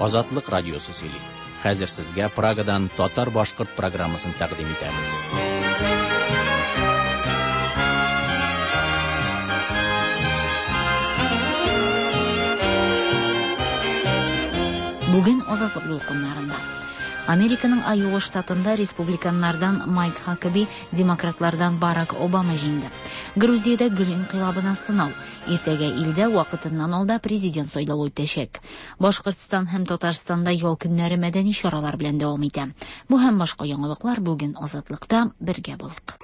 Азатлык радиосы сөйли. Хәзер сезгә Прагадан татар-башкорт программасын тәкъдим итәбез. Бүген Азатлык дулкыннарында. Американың Айова штатында республиканнардан Майк Хакаби, демократлардан Барак Обама җиңде. Грузиядә гөл инкыйлабына сынау. Иртәгә илдә вакытыннан алда президент сайлавы үтәчәк. Башкортстан һәм Татарстанда ял көннәре мәдәни чаралар белән дәвам итә. Бу һәм башка яңалыклар бүген Азатлыкта бергә булыйк.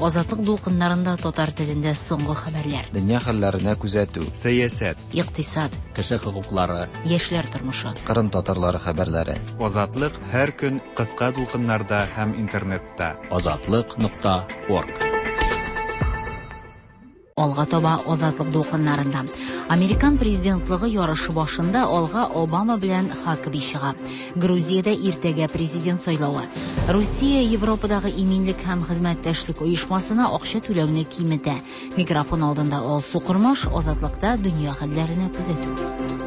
Азатлык дулкыннарында татар телендә соңгы хәбәрләр. Дөнья хәлләренә күзәтү. Сәясәт. Икътисад. Кеше хокуклары. Яшьләр тормышы. Кырым татарлары хәбәрләре. Азатлык һәр көн кыска дулкыннарда һәм интернетта. Азатлык.орг. Алга таба Азатлык дулкыннарында. Американ президентлыгы ярышы башында алга Обама белән Хакаби чыга. Грузиядә иртәгә президент сайлавы. Русия Европадагы иминлек һәм хезмәттәшлек оешмасына акча түләүне киметә. Микрофон алдында Алсу Кормаш, Азатлыкта дөнья хәлләренә күзәтү.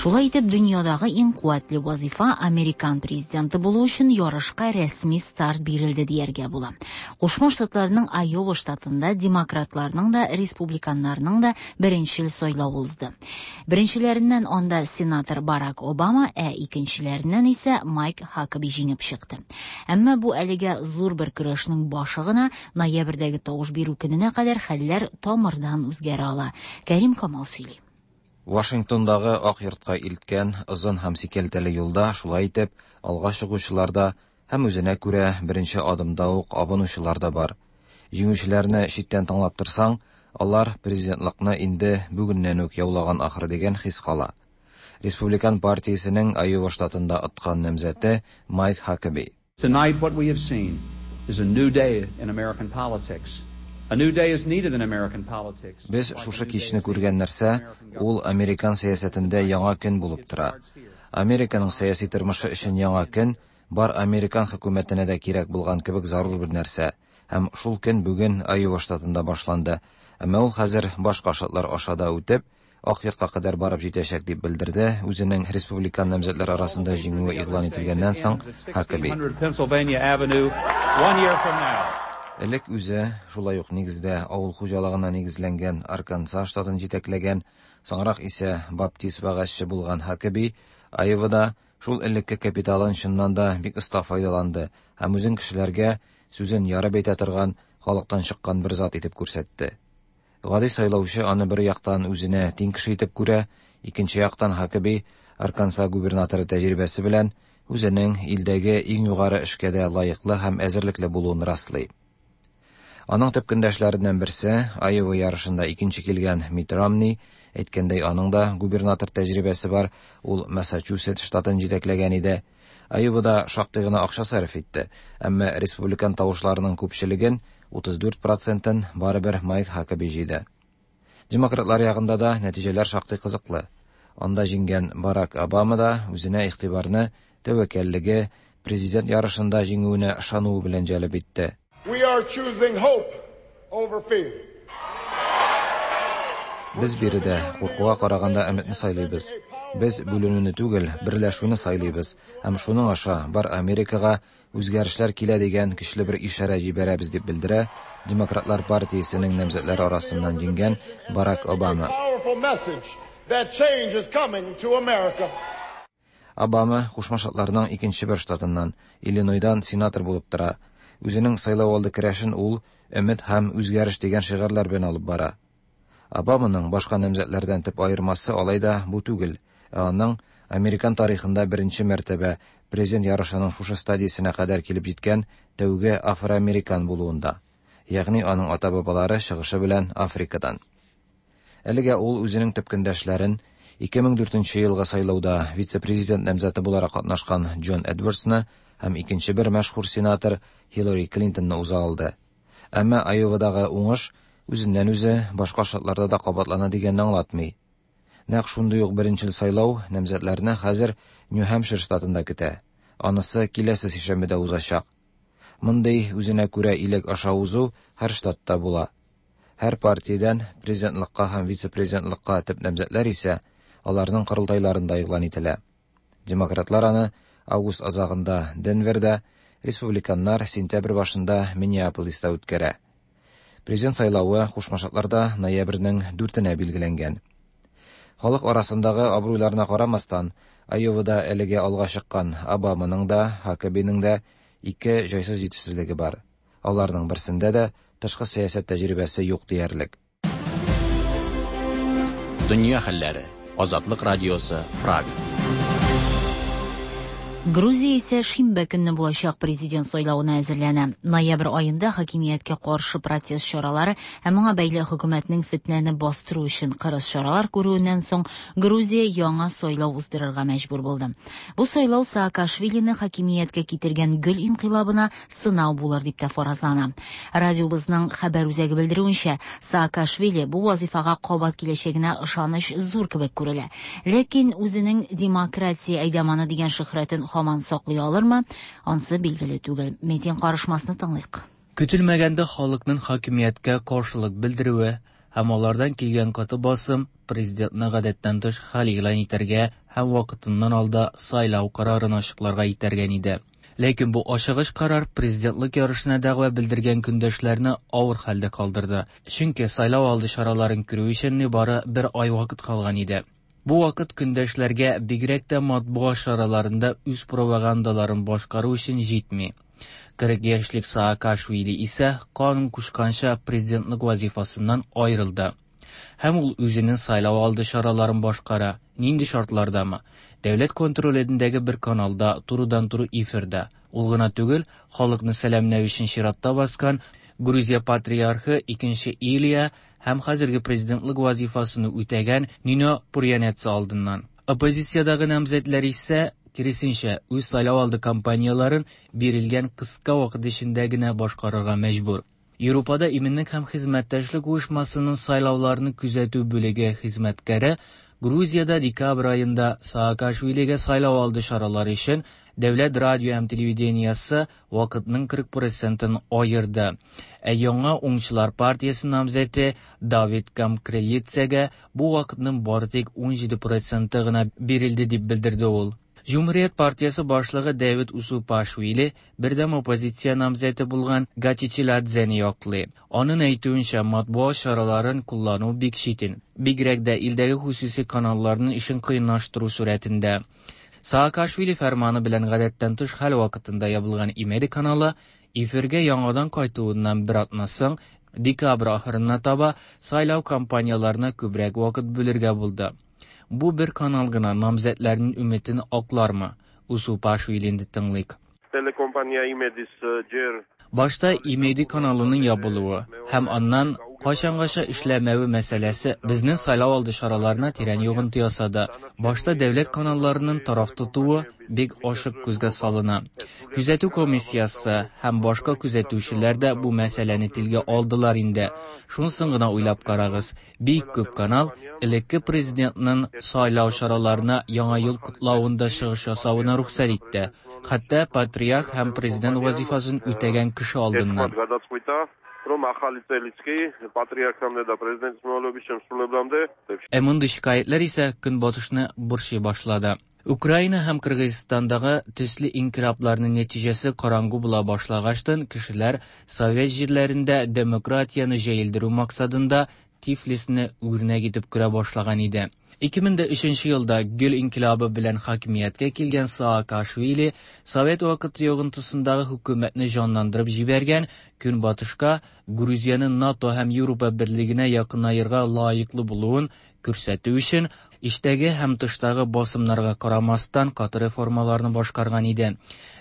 Шулай итеп, дөньядагы иң куәтле вазифа американ президенты булу өчен ярышка рәсми старт бирелде дияргә була. Кушма Штатларның Айова штатында демократларның да, республиканнарның да беренчел сайлавы узды. Беренчеләреннән анда сенатор Барак Обама, ә икенчеләреннән исә Майк Хакаби җиңеп чыкты. Әмма бу әлегә зур бер көрәшнең башы гына, ноябрьдәге тавыш бирү көненә кадәр хәлләр тамырдан үзгәрә ала. Кәрим Камал сөйли. Вашингтондагы Ак йортка илткән озын һәм сикәлтәле юлда шулай итеп алга чыгучылар да һәм үзенә күрә беренче адымда ук абынучылар да бар. Җиңүчеләрне читтән тыңлап торсаң, алар президентлыкны инде бүгеннән үк яулаган ахры дигән хис кала. Республикан партиясенең Айова штатында откан намзәте Майк Хакаби. Tonight what we have seen is a new day in American politics. A new day is needed in American politics. Без шушы кичне күргән нәрсә, ул американ сәясәтендә яңа көн булып тора. Американың сәяси тормышы өчен яңа көн бар американ хөкүмәтенә дә кирәк булган кебек зарур бер нәрсә. Һәм шул көн бүген Айова штатында башланды. Әмма ул хәзер башка штатлар аша да үтеп, Ак йортка кадәр барып җитәчәк дип белдерде үзенең республикан намзәтләр арасында җиңүе игълан ителгәннән соң Хакаби. Pennsylvania Avenue, one year from now. Элек үзе шулай ук нигездә авыл хуҗалыгына нигезләнгән Арканзас штатын җитәкләгән, соңрак исә баптист вәгазьче булган Хакаби Айовада шул элекке капиталын чыннан да бик оста файдаланды һәм үзен кешеләргә сүзен ярып әйтә торган халыктан чыккан бер зат итеп күрсәтте. Гади сайлаучы аны бер яктан үзенә тиң кеше итеп күрә, икенче яктан Хакаби Арканзас губернаторы тәҗрибәсе белән үзенең илдәге иң югары эшкә дә лаеклы һәм әзерлекле булуын раслый. Аның төп көндәшләреннән берсе Айова ярышында икенче килгән Митт Ромни, әйткәндәй, аның да губернатор тәҗрибәсе бар, ул Массачусетс штатын җитәкләгән иде. Айовада шактый гына акча сарыф итте, әмма республикан тавышларының күпчелеген 34%-ын барыбер Майк Хакаби җыйды. Демократлар ягында да нәтиҗәләр шактый кызыклы. Анда җиңгән Барак Обама да үзенә игътибарны тәвәккәллеге, президент ярышында җиңүенә ышануы белән җәлеп итте. We are choosing hope over fear. Без биредә куркуга караганда өметне сайлыйбыз. Без бүленүне түгел, берләшүне сайлыйбыз һәм шуның аша бар Америкага үзгәрешләр килә дигән көчле бер ишарә җибәрәбез дип белдерә Демократлар партиясенең намзәтләре арасыннан җиңгән Барак Обама. Powerful message that change is coming to America. Обама Кушма Штатларның икенче бер штатыннан, Иллинойдан сенатор булып тора. Үзенең сайлау алды көрәшен ул өмет һәм үзгәреш дигән шигарьләр белән алып бара. Обаманың башка намзәтләрдән төп аермасы алай да бу түгел, ә аның американ тарихында беренче мәртәбә президент ярышының шушы стадиясенә кадәр килеп җиткән тәүге афроамерикан булуында. Ягъни аның ата-бабалары чыгышы белән Африкадан. Әлегә ул үзенең төп көндәшләрен 2004 елгы сайлауда вице-президент намзәте буларак катнашкан Джон Эдвардсны һәм икенче бер мәшһүр сенатор Хиллари Клинтонны уза алды. Әмма Айовадагы уңыш үзеннән үзе башка штатларда да кабатлана дигәнне аңлатмый. Нәкъ шундый ук беренчел сайлау намзәтләрне хәзер Нью-Хэмпшир штатында көтә. Анысы киләсе сишәмбедә узачак. Мондый үзенә күрә иләк аша узу һәр штатта була. Һәр партиядән президентлыкка һәм вице-президентлыкка төп намзәтләр исә аларның корылтайларында игълан ителә. Демократлар аны август азагында Денверда, республиканнар сентябрь башында Миннеаполиста үткәрә. Президент сайлавы Кушма Штатларда ноябрьнең 4-нә билгеләнгән. Халык арасындагы абруйларына карамастан, Айовада әлегә алга чыккан Обаманың да, Хакабиның да ике җайсыз җитешсезлеге бар. Аларның берсендә дә тышкы сәясәт тәҗрибәсе юк диярлек. Дөнья хәлләре. Азатлык радиосы, Прага. Грузия исә шимбә көнне булачак президент сайлавына әзерләнә. Ноябрь аенда хакимияткә каршы протест чаралары һәм моңа бәйле хөкүмәтнең фетнәне бастыру өчен кырыс чаралар күрүеннән соң Грузия яңа сайлау уздырырга мәҗбүр булды. Бу сайлау Саакашвилины хакимияткә китергән гөл инкыйлабына сынау булыр дип тә фаразлана. Радиобызның хәбәр үзәге белдерүенчә, Саакашвили бу вазифага кабат киләчәгенә ышаныч зур кебек күрелә. Ләкин үзенең демократия әйдаманы дигән шөһрәтен һаман саклый алырмы, ансы билгеле түгел. Метин карышмасны тыңлыйк. Көтелмәгәндә халыкның хакимияткә каршылык белдерүе һәм алардан килгән каты басым президентны гадәттән тыш хәл игълан итәргә һәм вакытыннан алда сайлау карарын ачыкларга этәргән иде. Ләкин бу ашыгыч карар президентлык ярышына дәгъва белдергән көндәшләрне авыр хәлдә калдырды. Чөнки сайлау алды чараларын күрү өчен нибары бер ай вакыт калган иде. Бу вакыт көндәшләргә бигрәк тә матбугат чараларында үз пропагандаларын башкару өчен җитми. 40 яшьлек Саакашвили исә канун кушканча президентлык вазифасыннан аерылды. Һәм ул үзенең сайлау алды чараларын башкара. Нинди шартлардамы? Дәүләт контролендәге бер каналда турыдан-туры эфирда. Ул гына түгел, халыкны сәламләү өчен чиратта баскан Грузия патриархы 2 Илия һәм хәзерге президентлык вазифасын үтәгән Нино Пурьянеца алдыннан. Оппозициядәге намзәтләр исә киресенчә үз сайлау алды кампанияларын бирелгән кыска вакыт эчендә генә башкарырга мәҗбүр. Европада иминлек һәм хезмәттәшлек оешмасының сайлауларны күзәтү бүлеге хезмәткәре Грузиядә декабрь аенда Саакашвилигә сайлау алды чаралары өчен дәүләт радио һәм телевидениесе вакытның 40%-ын аерды. Ә яңа уңчылар партиясе намзәте Давид Камкрелицегә бу вакытның бары тик 17%-ы гына бирелде дип белдерде ул. Җумһурият партиясе башлыгы Давид Усупашвили бердәм оппозиция намзәте булган Гачичиладзене яклый. Аның әйтүенчә, матбугат чараларын куллану бик читен. Бигрәк дә илдәге хосуси каналларның эшен кыенлаштыру сурәтендә. Саакашвили фәрманы белән гадәттән тыш хәл вакытында ябылган Имеди каналы эфиргә яңадан кайтуыннан бер атна соң декабрь ахырына таба сайлау кампанияларына күбрәк вакыт бүлергә булды. Бу бер канал гына намзәтләрнең өметен аклармы? Усупашвилинде тыңлыйк. Телекомпания Имедис җер Башта Имеди каналының ябылуы һәм аннан кайчангача эшләмәве мәсьәләсе безнең сайлау алды чараларына тирән йогынты ясады. Башта дәүләт каналларының тараф тотуы бик ачык күзгә салына. Күзәтү комиссиясе һәм башка күзәтүчеләр дә бу мәсьәләне телгә алдылар инде. Шунысын гына уйлап карагыз. Бик күп канал элекке президентның сайлау чараларына яңа ел котлавында чыгыш ясавына рөхсәт итте. Хәтта патриарх һәм президент вазифасын үтәгән кеше алдыннан. Რომ ახალი წელიც კი პატრიარქამდე და პრეზიდენტის მოვალეობის შემსრულებლამდე Ә мондый шикаятьләр исә көнбатышны борчый башлады. Украина һәм Кыргызстандагы төсле инкыйлабларның нәтиҗәсе караңгы була башлагачтан кешеләр совет җирләрендә демократияне җәелдерү максатында Тифлисне үрнәк итеп күрә башлаган иде. 2003 елда Гөл инкыйлабы белән хакимияткә килгән Саакашвили совет вакыты йогынтысындагы хөкүмәтне җанландырып җибәргән, Көнбатышка Грузияне НАТО һәм Европа берлегенә якынаерга лаеклы булуын күрсәтү өчен иштәге һәм тыштагы басымнарга карамастан каты реформаларны башкарган иде.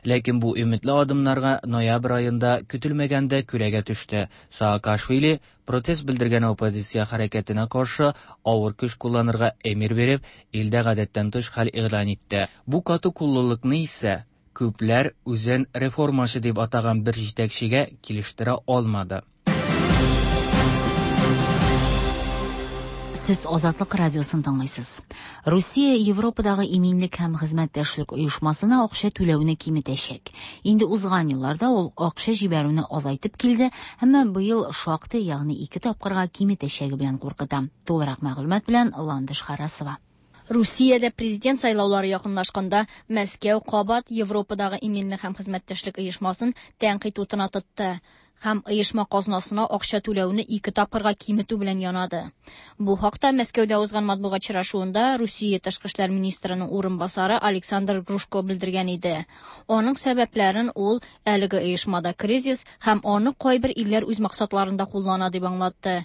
Ләкин бу өметле адымнарга ноябрь аенда көтелмәгәндә күләгә төште. Саакашвили протест белдергән оппозиция хәрәкәтенә каршы авыр көч кулланырга әмер биреп, илдә гадәттән тыш хәл игълан итте. Бу каты куллылыкны исә күпләр үзен реформачы дип атаган бер җитәкчегә килештерә алмады. Сез Азатлык радиосын тыңлыйсыз. Русия Европадагы иминлек һәм хезмәттәшлек оешмасына акча түләүне киметәчәк. Инде узган елларда ул акча җибәрүне азайтып килде, әмма быел шактый, ягъни ике тапкырга киметәчәге белән куркыта. Тулырак мәгълүмат белән Ландыш Харасова. Русиядә президент сайлаулары якынлашканда, Мәскәү кабат Европадагы иминлек һәм хезмәттәшлек оешмасын тәнкыйть утына тотты һәм оешма казнасына акча түләүне ике тапкырга киметү белән янады. Бу хакта Мәскәүдә узган матбугат очрашуында Русия тышкы эшләр министрының урынбасары Александр Грушко белдергән иде. Аның сәбәпләрен ул әлеге оешмада кризис һәм аны кайбер илләр үз максатларында куллана дип аңлатты.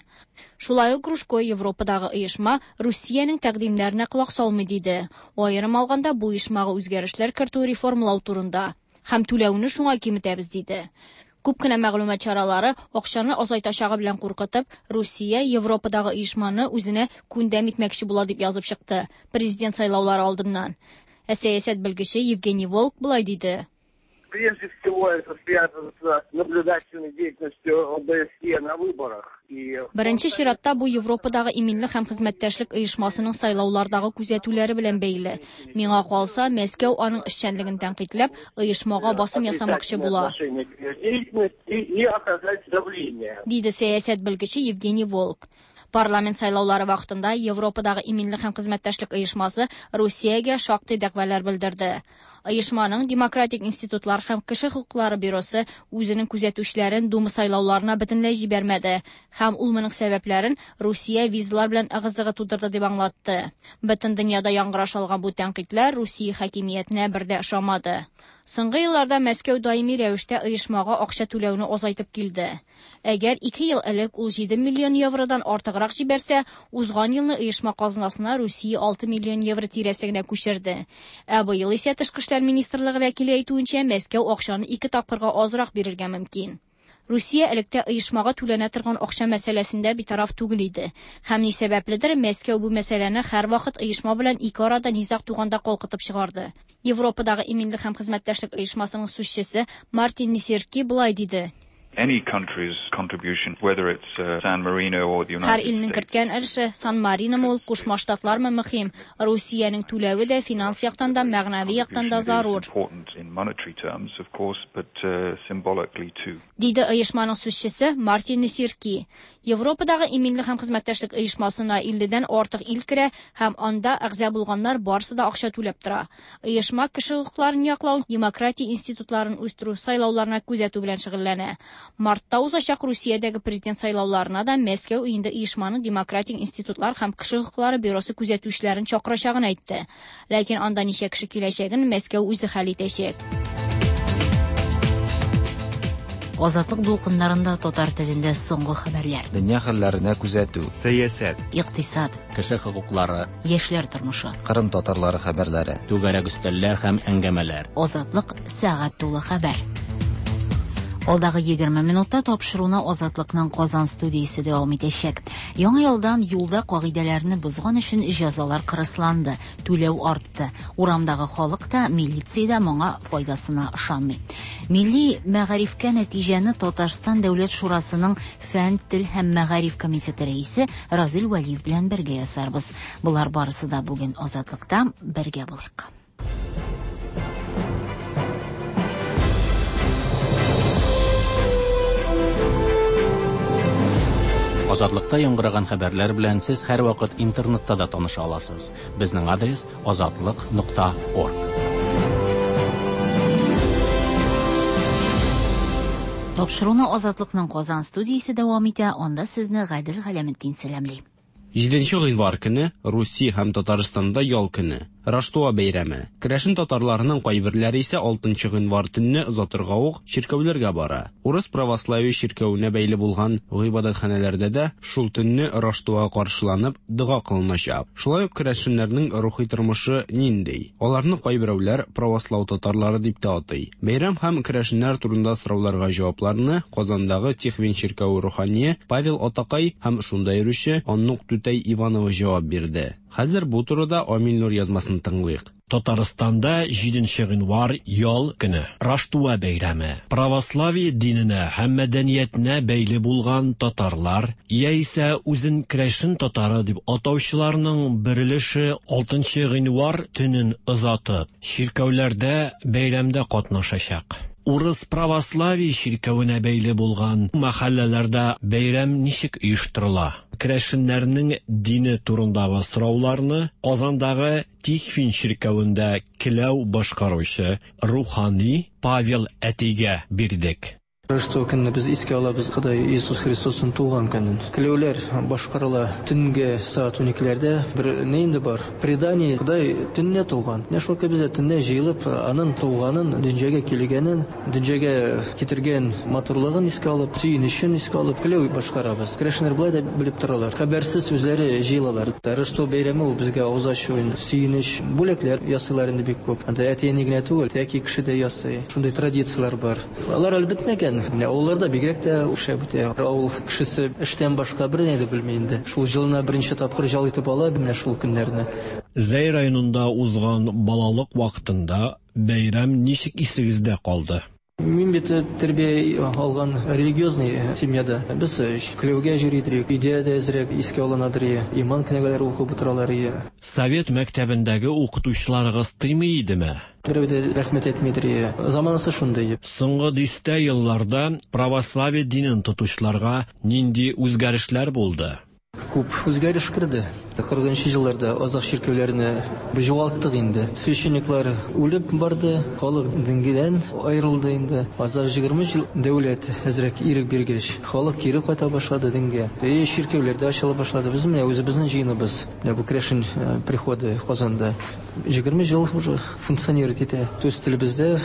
Шулай ук Грушко Европадагы оешма Русиянең тәкъдимнәренә колак салмый диде. Аерым алганда бу оешмага үзгәрешләр кертү реформалау турында һәм түләүне шуңа киметәбез диде. Күп кенә мәгълүмат чаралары акчаны азайтачагы белән куркытып, Русия Европадагы оешманы үзенә күндәм итмәкче була дип язып чыкты президент сайлаулары алдыннан. Ә сәясәт белгече Евгений Волк болай диде. Прежде всего это связано с наблюдательной деятельностью ОБСЕ на выборах. И Беренче чиратта бу Европадагы иминлек һәм хезмәттәшлек оешмасының сайлаулардагы күзәтүләре белән бәйле. Миңа калса, Мәскәү аның эшчәнлеген тәнкыйтьләп, оешмага басым ясамакчы була. отношение к ее деятельности и оказать давление. Диде сәясәт белгече Евгений Волк. Парламент сайлаулары вакытында Европадагы иминлек һәм хезмәттәшлек оешмасы Русиягә шактый дәгъвалар белдерде. Оешманың демократик институтлар һәм кеше хокуклары бюросы үзенең күзәтүчеләрен Дума сайлауларына бөтенләй җибәрмәде һәм ул моның сәбәпләрен Русия визалар белән ыгы-зыгы тудырды дип аңлатты. Бөтен дөньяда яңгыраш алган бу тәнкыйтьләр Русия хакимиятенә бер дә ошамады. Соңгы елларда Мәскәү даими рәвештә оешмага акча түләүне азайтып килде. Әгәр 2 ел элек ул 7 миллион евродан артыграк җибәрсә, узган елны оешма казнасына Русия 6 миллион евро тирәсе генә күчерде. Ә быел исә Тышкы эшләр министрлыгы вәкиле әйтүенчә, Мәскәү акчаны ике тапкырга азрак бирергә мөмкин. Русия электә оешмага түләнә торган акча мәсьәләсендә битараф түгел иде. Һәм ни сәбәпледер, Мәскәү бу мәсьәләне һәрвакыт оешма белән ике арада низаг туганда калкытып чыгарды. Европадагы иминлек һәм хезмәттәшлек оешмасының сүзчесе Мартин Несерки болай диде. Any country's contribution, whether it's San Marino or the Һәр United илнең States, керткән өлеше Сан Мариномы ул, Кушма Штатлармы мөһим. Русиянең түләве дә финанс яктан да, мәгънәви яктан да is зарур. important in monetary terms, of course, but symbolically too. Диде оешманың сүзчесе Мартин Несерки. Европадагы иминлек һәм хезмәттәшлек оешмасына 50-дән артык ил керә һәм анда әгъза булганнар барысы да акча түләп тора. Оешма кеше хокукларын яклау, демократия институтларын үстерү, сайлауларына күзәтү белән шөгыльләнә. Мартта узачак Русиядәге президент сайлауларына да Мәскәү инде оешманың демократик институтлар һәм кеше хокуклары бюросы күзәтүчеләрен чакырачагын әйтте. Ләкин анда ничә кеше киләчәген Мәскәү үзе хәл итәчәк. Азатлык дулкыннарында татар телендә соңгы хәбәрләр. Дөнья хәлләренә күзәтү. Сәясәт. Икътисад, Кеше хокуклары, яшьләр тормышы. Кырым татарлары хәбәрләре. Түгәрәк өстәлләр һәм әңгәмәләр. Азатлык сәгать тулы хәбәр. Алдагы 20 минутта тапшыруны Азатлыкның Казан студиясе дәвам итәчәк. Яңа елдан юлда кагыйдәләрне бозган өчен җәзалар кырысланды, түләү артты. Урамдагы халык та, милиция дә моңа файдасына ышанмый. Милли мәгарифкә нәтиҗәне Татарстан Дәүләт Шурасының фән, тел һәм мәгариф комитеты рәисе Разил Вәлиев белән бергә ясарбыз. Болар барысы да бүген Азатлыкта бергә булыйк. Азатлыкта яңгыраган хәбәрләр белән сез һәрвакыт интернетта да таныша аласыз. Безнең адрес azatliq.org. Тапшыруны Азатлыкның Казан студиясе дәвам итә. Анда сезне Гадел Галәметдин сәламли. 7 гыйнвар көне Русия һәм Татарстанда ял көне. Раштуа бәйрәме. Керәшен татарларының кайберләре исә 6 гыйнвар төнне озатырга ук чиркәүләргә бара. Урыс православие чиркәвенә бәйле булган гыйбадәтханәләрдә дә шул төнне Раштуа каршыланып дога кылыначак. Шулай ук керәшеннәрнең рухи тормышы нинди? Аларны кайберәүләр правослау татарлары дип тә атый. Бәйрәм һәм керәшеннәр турында сорауларга җавапларны Казандагы Тихвин чиркәве рухание Павел Атакай һәм шунда йөрүче Аннук Түтәй Иванова җавап бирде. Хәзер бу турыда Амил Нур язмасын тыңлыйк. Татарстанда 7 гыйнвар ял көне, Раштуа бәйрәме. Православие диненә һәм мәдәниятенә бәйле булган татарлар, яисә үзен керәшен татары дип атаучыларның бер өлеше 6 гыйнвар төнен озатып, чиркәүләрдә бәйрәмдә катнашачак. Урыс православие чиркәвенә бәйле булган мәхәлләләрдә бәйрәм ничек оештырыла? Керәшеннәрнең дине турындагы сорауларны Казандагы Тихвин чиркәвендә келәү башкаручы рухани Павел әтигә бирдек. Рождество көнне без искә алабыз Ходай Иисус Христосның туган көнен. Келәүләр башкарыла төнге сәгать уникеләрдә. Бер ни инде бар? Предание, Ходай төнлә туган. Менә шул без дә төнлә җыелып, аның туганын, дөньяга килгәнен, дөньяга китергән матурлыгын искә алып, сөенечен искә алып, келәү башкарабыз. Керәшеннәр болай да белеп торалар. Хәбәрсез үзләре җыелалар. Рождество бәйрәме ул безгә авыз ачу инде, сөенеч, бүләкләр ясыйлар инде бик күп. Анда әти-әни генә түгел, тәки кеше дә ясый. Шундый традицияләр бар. Алар әле бетмәгән. Менә авылларда бигрәк тә шәп үтә. Авыл кешесе эштән башка берни дә белми инде. Шул җылына берничә тапкыр ял итеп ала менә шул көннәрне. Зәй районында узган балалык вакытында бәйрәм ничек исегездә калды? Мин бит тәрбия алган религиозный семьяда. Без келәүгә йөри идек, өйдә дә әзрәк искә алынадыр, иман кенәгәләре укып утыралар. Совет мәктәбендәге укытучыларыгыз тыймый идеме? Берәү дә рәхмәт әйтмидер. Заманасы шундый. Соңгы дистә елларда православие динен тотучыларга нинди үзгәрешләр булды? Күп үзгәреш керде. Кырыгынчы елларда азак чиркәүләрне югалттык инде. Священниклар үлеп барды, халык дингедән аерылды инде. Азак 20 ел дәүләт әзрәк ирек биргәч, халык кире кайта башлады дингә. И чиркәүләр дә ачыла башлады. Без менә үзебезнең җыеныбыз. Менә бу керәшен приходы Казанда 20 ел уже функционировать итә. Үз телебездә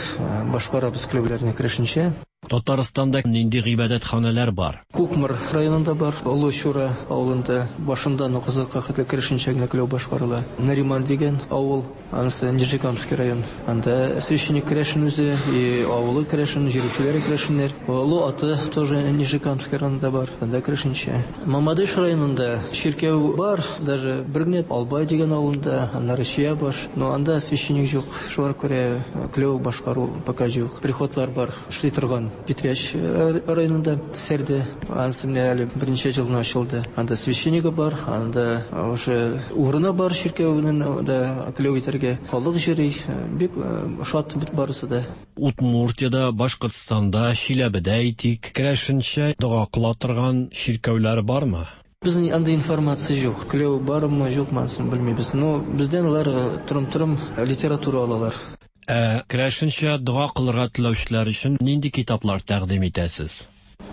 башкарабыз келәүләрне керәшенчә. Татарстанда нинди гыйбадәтханәләр бар? Кукмор районында бар, Олы Чура авылында башында Казакка хәтле керәшенчә генә келәү башкарыла. Нариман дигән авыл, анысы Нижнекамский район. Анда священник керәшен үзе, и авылы керәшен, җирүчеләре керәшеннәр. Олы Аты тоже Нижнекамский районында бар, анда керәшенчә. Мамадыш районында чиркәү бар, даже бер генә Албай дигән авылында, аннары Чиябаш, но анда священник юк. Шулар күрә келәү башкару пока юк. Приходлар бар, эшли торган. Питрәч районында Сәрдә, анысы менә әле берничә ел гына ачылды. Анда священнигы бар, анда уже урыны бар чиркәүнең да келәү итәргә. Халык йөри, бик шат бит барысы да. Удмуртиядә, Башкортстанда, Чиләбедә әйтик, керәшенчә дога кыла торган чиркәүләр бармы? Безнең андый информация юк. Келәү бармы, юкмы, анысын белмибез. Но бездән алар торым-торым литература алалар. Ә керәшенчә дога кылырга теләүчеләр өчен нинди китаплар тәкъдим итәсез?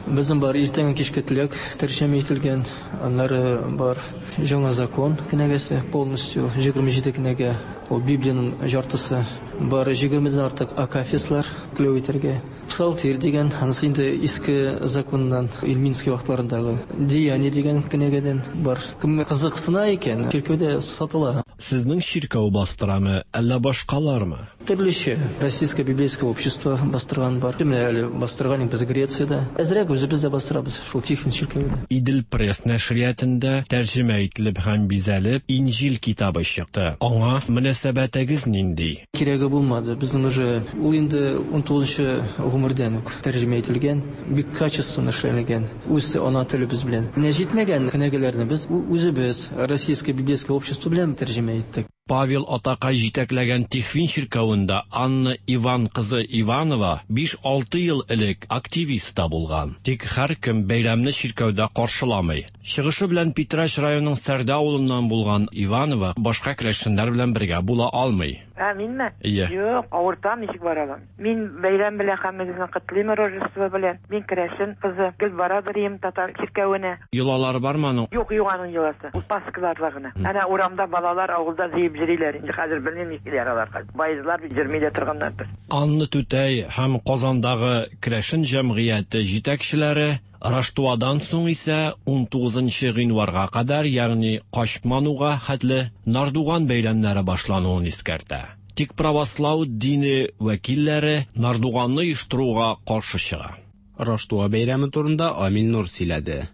Безнең бар иртәнге кичке теләк тәрҗемә ителгән, аннары бар Яңа закон кенәгәсе полностью 27 кенәгә, ул Библиянең яртысы. Бар 20дән артык акафистлар келәү итәргә. Псалтирь дигән, анысы инде иске законнан, Ильминский вакытларындагы. Деяния дигән кенәгәдән бар. Кем кызыксына икән, чиркәүдә сатыла. Сезнең чиркәү бастырамы, әллә башкалармы? Төрлечә. Российское библейское общество бастырган бар. Менә әле бастырган без Грециядә. Әзрәк үзебез дә бастырабыз, шул Тихвин чиркәвендә. Идел пресс нәшриятында тәрҗемә ителеп һәм бизәлеп Инҗил китабы чыкты. Аңа мөнәсәбәтегез нинди? Кирәге булмады. Безнең уже ул инде 19 гомердән үк тәрҗемә ителгән, бик качественно эшләнелгән. Үз ана телебез белән. Менә җитмәгән кенәгәләрне без үзебез Российское библейское общество белән тәрҗемә иттек. Павел атакай җитәкләгән Тихвин чиркәвендә Анна Иван кызы Иванова 5-6 ел элек активист та булган. Тик һәркем бәйрәмне чиркәүдә каршыламый. Чыгышы белән Питрәч районының Сәрдә авылыннан булган Иванова башка керәшеннәр белән бергә була алмый. Ә, минме? Ие. Юк, авыртам, ничек бара алам. Мин бәйрәм белән һәммәгезне котлыйм Рождество белән. Мин керәшен кызы. Гел бара берим татар чиркәвенә. Йолалар бармы аның? Юк, юк аның йоласы. Ул Пасхаларда гына. Әнә урамда балалар авылда җыеп йөриләр. Инде хәзер белмим нишлиләр алар хәзер. Байызлар бит йөрми дә торганнардыр. Анна түтәй һәм Казандагы керәшен җәмгыяте җитәкчеләре Раштуадан соң исә 19 гыйнварга кадәр, ягъни Качмануга хәтле Нардуган бәйрәмнәре башлануын искәртә. Тик правослау дине вәкилләре Нардуганны оештыруга каршы чыга. Раштуа бәйрәме турында Амил Нур сөйләде.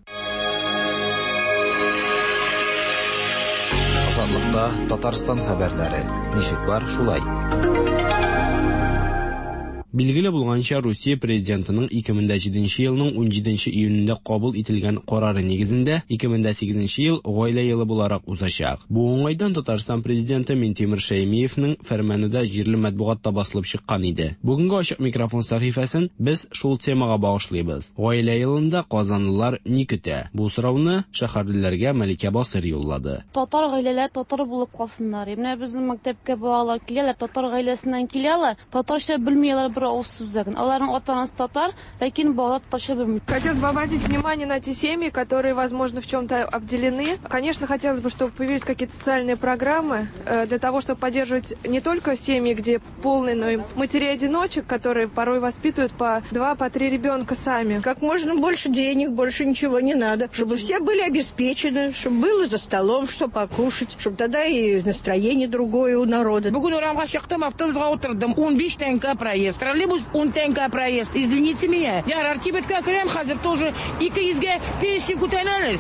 Азатлыкта Татарстан хәбәрләре. Ничек бар, шулай. Билгеле булганча, Русия президентының 2007 елның 17 июнендә кабул ителгән карары нигезендә 2008 ел гаилә елы буларак узачак. Бу уңайдан Татарстан президенты Минтимер Шәймиевнең фәрманы да җирле матбугатта басылып чыккан иде. Бүгенге ачык микрофон сәхифәсен без шул темага багышлыйбыз. Гаилә елында казанлылар ни көтә? Бу сорауны шәһәрлеләргә Мәликә Басыр юллады. Татар гаиләләр татар булып калсыннар. Менә безнең мәктәпкә балалар киләләр, татар гаиләсеннән киләләр, татарча белмиләр бер авыз сүз дә. Аларның ата-анасы татар, ләкин балалар татарча белми. Хотелось бы обратить внимание на те семьи, которые, возможно, в чем-то обделены. Конечно, хотелось бы, чтобы появились какие-то социальные программы для того, чтобы поддерживать не только семьи, где полные, но и матерей-одиночек, которые порой воспитывают по 2, по 3 ребенка сами. Как можно больше денег, больше ничего не надо. Чтобы все были обеспечены, чтобы было за столом, что покушать, чтобы тогда и настроение другое у народа. Бүген урамга чыктым, автобуска утырдым. 15 тәңкә проезд. Троллейбус 10 тәңкә проезд. Извините меня. Ярар, кибеткә керәм, хәзер тоже 200-гә пенсия күтәрәләр.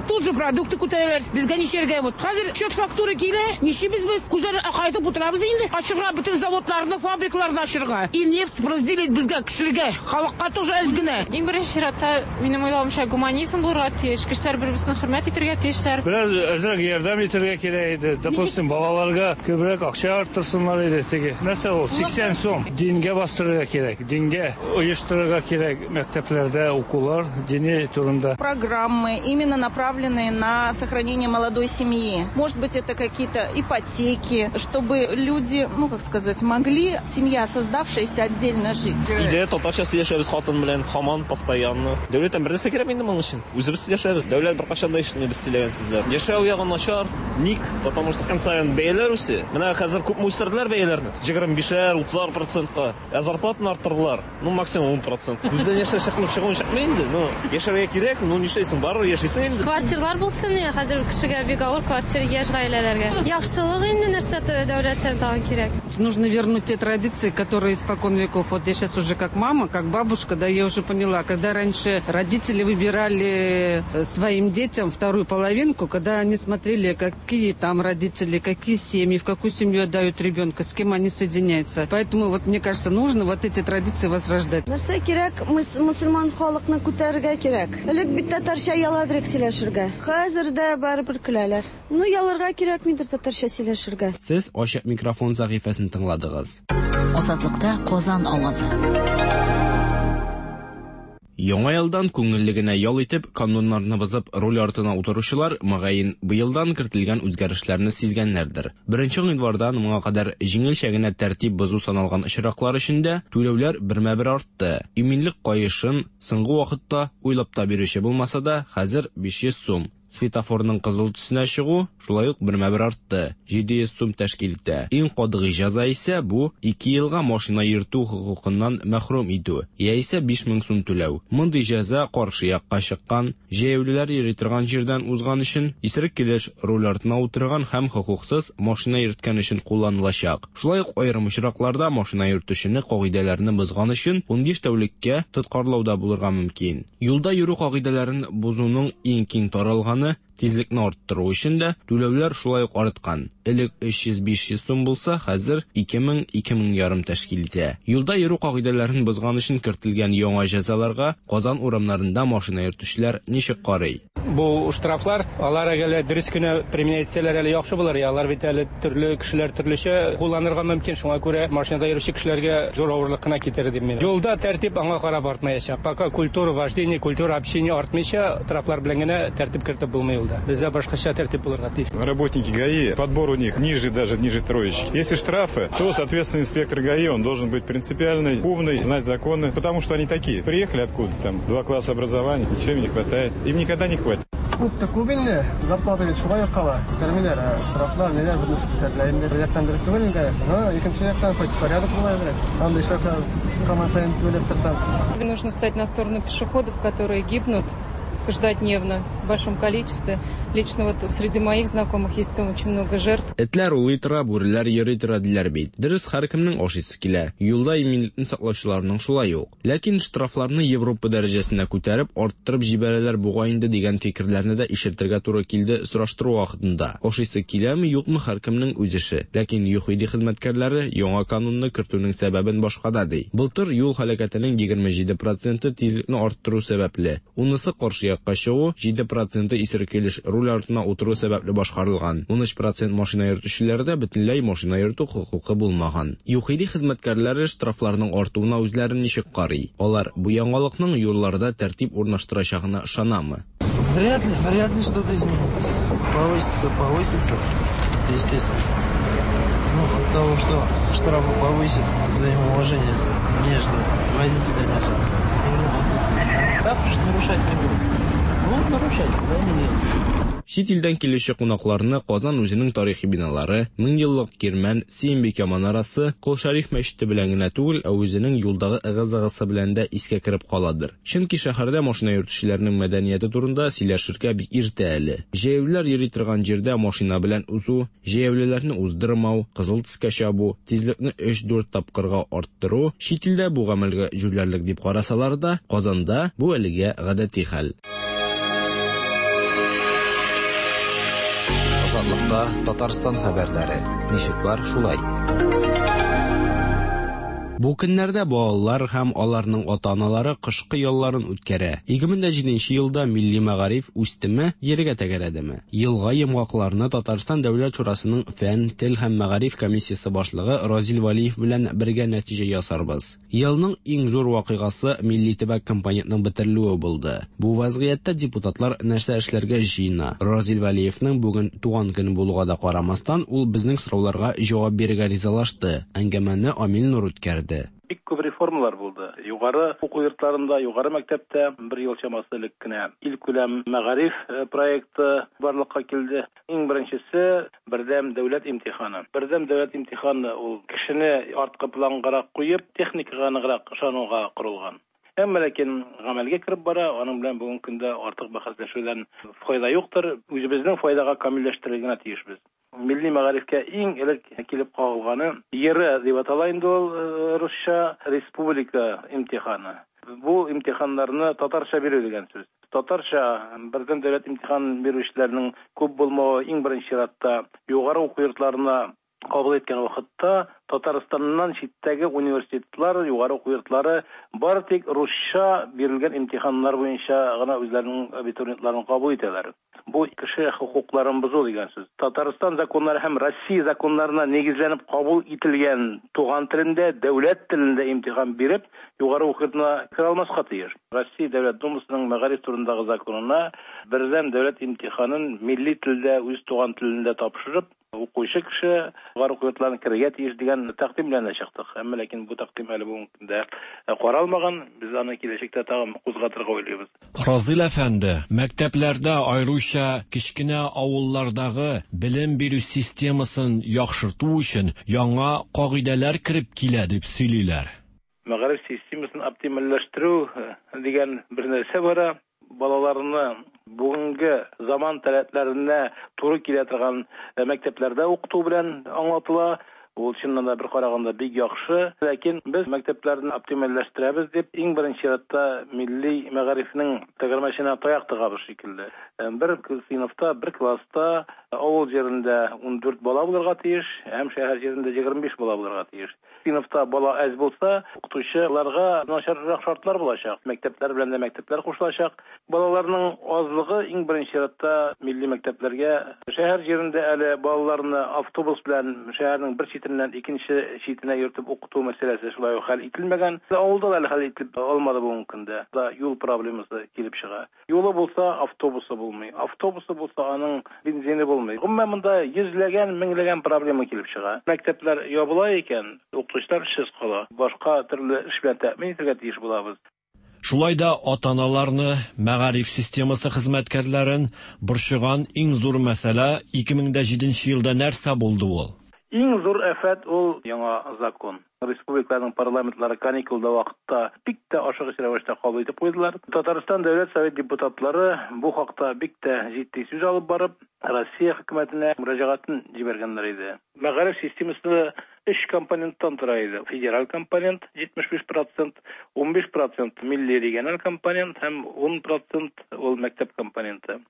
Тут же продукты күтәрәләр. Безгә ничәргә вот. Хәзер счет фактура килә, ничибез без? Күзләрне акайтып утырабыз инде. Ачырга бөтен заводларны, фабрикаларны ачырга. И нефть разделить безгә, кешеләргә, халыкка тоже әз генә. Иң беренче чиратта, минем уйлавымча, гуманизм булырга тиеш. Кешеләр бер-берсен хөрмәт итәргә тиешләр. Бераз әзрәк ярдәм итәргә кирәк иде. Допустим, балаларга күбрәк акча арттырсыннар иде теге. Нәрсә ул? 80 сум. Дингә бастырырга кирәк. Дингә оештырырга кирәк мәктәпләрдә укулар дини турында. Программы именно направленные на сохранение молодой семьи. Может быть, это какие-то ипотеки, чтобы люди, ну, как сказать, могли, семья создавшаяся, отдельно жить. Өйдә татарча сөйләшәбез хатын белән, һаман постоянно. Дәүләттән бер нәрсә кирәк инде моның өчен. Үзебез сөйләшәбез. Дәүләт беркайчан да ишетми без сөйләгән сүзләр. Яшәү ягы начар. Ник? Потому что көн саен бәяләр үсә. Менә хәзер күпме үстерделәр бәяләрне? 25-әр, 30 процентка. Ә зарплатаны арттырдылар. Ну, максимум 10%. Күздән яшьләр чыкмый, чыгуын чыкмый инде. Ну, яшәргә кирәк, ну, нишләйсең, барыбер яшисең инде. Квартирлар булсын, я, хәзер кешегә бик авыр квартир яшь гаиләләргә. Яхшылык инде нәрсә дәүләттән тагын кирәк. Нужно вернуть те традиции, которые испокон веков. Вот я сейчас уже как мама, как бабушка, да, я уже поняла, когда раньше родители выбирали своим детям вторую половинку, когда они смотрели, какие там родители, какие семьи, в какую семью отдают ребенка, с кем они соединяются. Поэтому, вот, мне кажется, нужно вот эти традиции возрождать. Нәрсә кирәк? Мөселман халыкны күтәрергә кирәк. Элек бит татарча яладырык сөйләшергә. Хәзер дә барыбер көләләр. Ну, ялырга кирәкмидер татарча сөйләшергә. Сез ачык микрофон сәхифәсен тыңладыгыз. Азатлыкта Казан авазы. Яңа елдан күңелле генә ял итеп, кануннарны бозып руль артына утыручылар, мөгаен, быелдан кертелгән үзгәрешләрне сизгәннәрдер. 1 гыйнвардан моңа кадәр җиңелчә генә тәртип бозу саналган очраклар өчен дә түләүләр бермә-бер артты. Иминлек каешын соңгы вакытта уйлап та бирүче булмаса да, хәзер 500 сум. Светофорның кызыл төсенә чыгу шулай ук бермә-бер артты. 700 сум тәшкил итә. Иң катгый җәза исә бу 2 елга машина йөртү хокукыннан мәхрүм итү, яисә 5000 сум түләү. Мондый җәза каршы якка чыккан, җәяүлеләр йөри торган җирдән узган өчен, исерек килеш руль артына утырган һәм хокуксыз машина йөрткән өчен кулланылачак. Шулай ук аерым очракларда машина йөртүчене кагыйдәләрне бозган өчен 15 тәүлеккә тоткарлауда булырга мөмкин. Юлда йөрү кагыйдәләрен бозуның иң киң таралганы тизлекне арттыру өчен дә түләүләр шулай ук арткан. Элек 300-500 сум булса, хәзер 2000-2500 тәшкил итә. Юлда йөрү кагыйдәләрен бозган өчен кертелгән яңа җәзаларга Казан урамнарында машина йөртүчеләр ничек карый? Бу штрафлар, алар әгәр дөрес кенә применять итсәләр әле яхшы булыр. Алар бит әле төрле кешеләр төрлечә кулланырга мөмкин. Шуңа күрә машинада йөрүче кешеләргә зур авырлык кына китерер дим мин. Юлда тәртип аңа карап артмаячак. Пока культура вождения, культура общения артмыйча, штрафлар белән генә тәртип кертеп булмый юлда. Бездә башкача тәртип булырга тиеш. Работники ГАИ, подбор у них ниже, даже ниже троечки. Если штрафы, то, соответственно, инспектор ГАИ, он должен быть принципиальный, умный, знать законы, потому что они такие. Приехали откуда там, 2 класса образования, ничего им не хватает. Им никогда не хватит. Күп тә күп инде, зарплата бит шулай ук кала. Күтәрмиләр, штрафлар, ниләр, бөтенесе күтәрелә. Инде бер яктан дөрес түгел инде, но икенче яктан хоть порядок була әзрәк. Андый штрафлар һаман саен түләп торсаң. Нужно встать на сторону пешеходов, которые гибнут каждодневно. в большом количестве. Лично вот среди моих знакомых есть очень много жертв. Этләр улый тора, бүреләр йөри тора диләр бит. Дөрес, һәркемнең ашыйсы килә. Юлда иминлекне саклаучыларның шулай ук. Ләкин штрафларны Европа дәрәҗәсенә күтәреп, арттырып җибәрәләр бугай инде дигән фикерләрне дә ишетергә туры килде сораштыру вакытында. Ашыйсы киләме, юкмы һәркемнең үз эше. Ләкин ЮХИДИ хезмәткәрләре яңа канунны кертүнең сәбәбен башкада ди. Былтыр юл һәлакәтенең 27 проценты тизлекне арттыру сәбәпле, унысы каршы якка чыгу, 7 проценты исерек килеш руль артына утыру сәбәпле башкарылган. 13 процент машина йөртүчеләрдә бөтенләй машина йөртү хокукы булмаган. ЮХИДИ хезмәткәрләре штрафларның артуына үзләре ничек карый? Алар бу яңалыкның юлларда тәртип урнаштырачагына ышанамы? Вряд ли, вряд ли что-то изменится. Повысится, повысится, это естественно. Ну, от того, что штрафы повысит, взаимоуважение между водителями же все равно отсутствует. Штрафы же нарушать не будут. Будут нарушать, куда они денутся. Чит илдән килүче кунакларны Казан үзенең тарихи биналары, меңьеллык Кирмән, Сөембикә манарасы, Кол Шәриф мәчете белән генә түгел, ә үзенең юлдагы ыгы-зыгысы белән дә искә кереп каладыр. Чөнки шәһәрдә машина йөртүчеләрнең мәдәнияте турында сөйләшергә бик иртә әле. Җәяүлеләр йөри торган җирдә машина белән узу, җәяүлеләрне уздырмау, кызыл төскә чабу, тизлекне өч-дүрт тапкырга арттыру, чит илдә бу гамәлгә җүләрлек дип карасалар да, Казанда бу әлегә гадәти хәл. Азатлыкта Татарстан хәбәрләре. Ничек бар, шулай. Бу көннәрдә балалар һәм аларның ата-аналары кышкы ялларын үткәрә. 2007 елда милли мәгариф үстеме, җиргә тәгәрәдеме? Елга йомгакларны Татарстан Дәүләт шурасының фән, тел һәм мәгариф комиссиясе башлыгы Разил Вәлиев белән бергә нәтиҗә ясарбыз. Елның иң зур вакыйгасы милли төбәк компонентның бетерелүе булды. Бу вазгыятьтә депутатлар нәрсә эшләргә җыена? Разил Вәлиевның бүген туган көне булуга да карамастан, ул безнең сорауларга җавап бирергә ризалашты. Әңгәмәне Амил Нур үткәрде. Бик күп реформалар булды. Югары уку йортларында, югары мәктәптә бер ел чамасы элек кенә илкүләм мәгариф проекты барлыкка килде. Иң беренчесе бердәм дәүләт имтиханы. Бердәм дәүләт имтиханы ул кешене арткы плангарак куеп, техникага ныграк ышануга корылган. Әмма ләкин гамәлгә кереп бара, аның белән бүгенге көндә артык бәхәсләшүдән файда юктыр. Үзебезнең файдага камилләштерергә генә тиешбез. Милли мәгарифкә иң элек килеп кагылганы ЕРЭ дип атала инде ул русча республика имтиханы. Бу имтиханнарны татарча бирү дигән сүз. Татарча бердәм дәүләт имтиханын бирүчеләрнең күп булмавы иң беренче чиратта югары уку йортларына кабул иткән вакытта Татарстаннан читтәге университетлар, югары уку йортлары бары тик русча бирелгән имтиханнар буенча гына үзләренең абитуриентларын кабул итәләр. Бу кеше хокукларын бозу дигән сүз. Татарстан законнары һәм Россия законнарына нигезләнеп кабул ителгән туган телендә, дәүләт телендә имтихан биреп, югары уку йортына керә алмаска тиеш. Россия Дәүләт Думасының мәгариф турындагы законына бердәм дәүләт имтиханын милли телдә, үз туган телендә тапшырып, Укучы кеше югары уку йортларына керергә тиеш дигән тәкъдим белән дә чыктык. Әмма ләкин бу тәкъдим әле бүгенге көндә каралмаган. Без аны киләчәктә тагын кузгатырга уйлыйбыз. Разил әфәнде, мәктәпләрдә, аеруча кечкенә авыллардагы белем бирү системасын яхшырту өчен яңа кагыйдәләр кереп килә дип сөйлиләр. Мәгариф системасын оптимальләштерү дигән бер нәрсә бара. Балаларны бүгенге заман таләпләренә туры килә торган мәктәпләрдә укыту белән аңлатыла. Ул чыннан да бер караганда бик яхшы. Ләкин без мәктәпләрне оптимальләштерәбез дип, иң беренче чиратта милли мәгарифнең тәгәрмәченә таяк тыгабыз шикелле. Бер сыйныфта, бер класста авыл җирендә 14 бала булырга тиеш, һәм шәһәр җирендә 25 бала булырга тиеш. Сыйныфта бала әз булса, укытучыларга начаррак шартлар булачак. Мәктәпләр белән дә мәктәпләр кушылачак. Балаларның азлыгы иң беренче чиратта милли мәктәпләргә. Шәһәр җирендә әле балаларны автобус белән шәһәрнең бер читеннән икенче читенә йөртеп укыту мәсьәләсе шулай ук хәл ителмәгән. Авылда да әле хәл ителеп алмады бүгенге көндә. Да юл проблемасы килеп чыга. Юлы булса, автобусы булмый. Автобусы булса, аның бензины булмый. Гомумән, монда йөзләгән, меңләгән проблема килеп чыга. Мәктәпләр ябыла икән, укытучылар эшсез кала. Башка төрле эш белән тәэмин итәргә тиеш булабыз. Шулай да ата-аналарны, мәгариф системасы хезмәткәрләрен борчыган иң зур мәсьәлә, 2007 елда нәрсә булды ул? Иң зур афәт ул яңа закон. Республикаларның парламентлары каникулда вакытта бик тә ашыгыч рәвештә кабул итеп куйдылар. Татарстан Дәүләт Совет депутатлары бу хакта бик тә җитди сүз алып барып, Россия хөкүмәтенә мөрәҗәгатен җибәргәннәр иде. Мәгариф системасы өч компоненттан тора иде. Федераль компонент 75 процент, 15 процент милли региональ компонент һәм 10 процент ул мәктәп компоненты.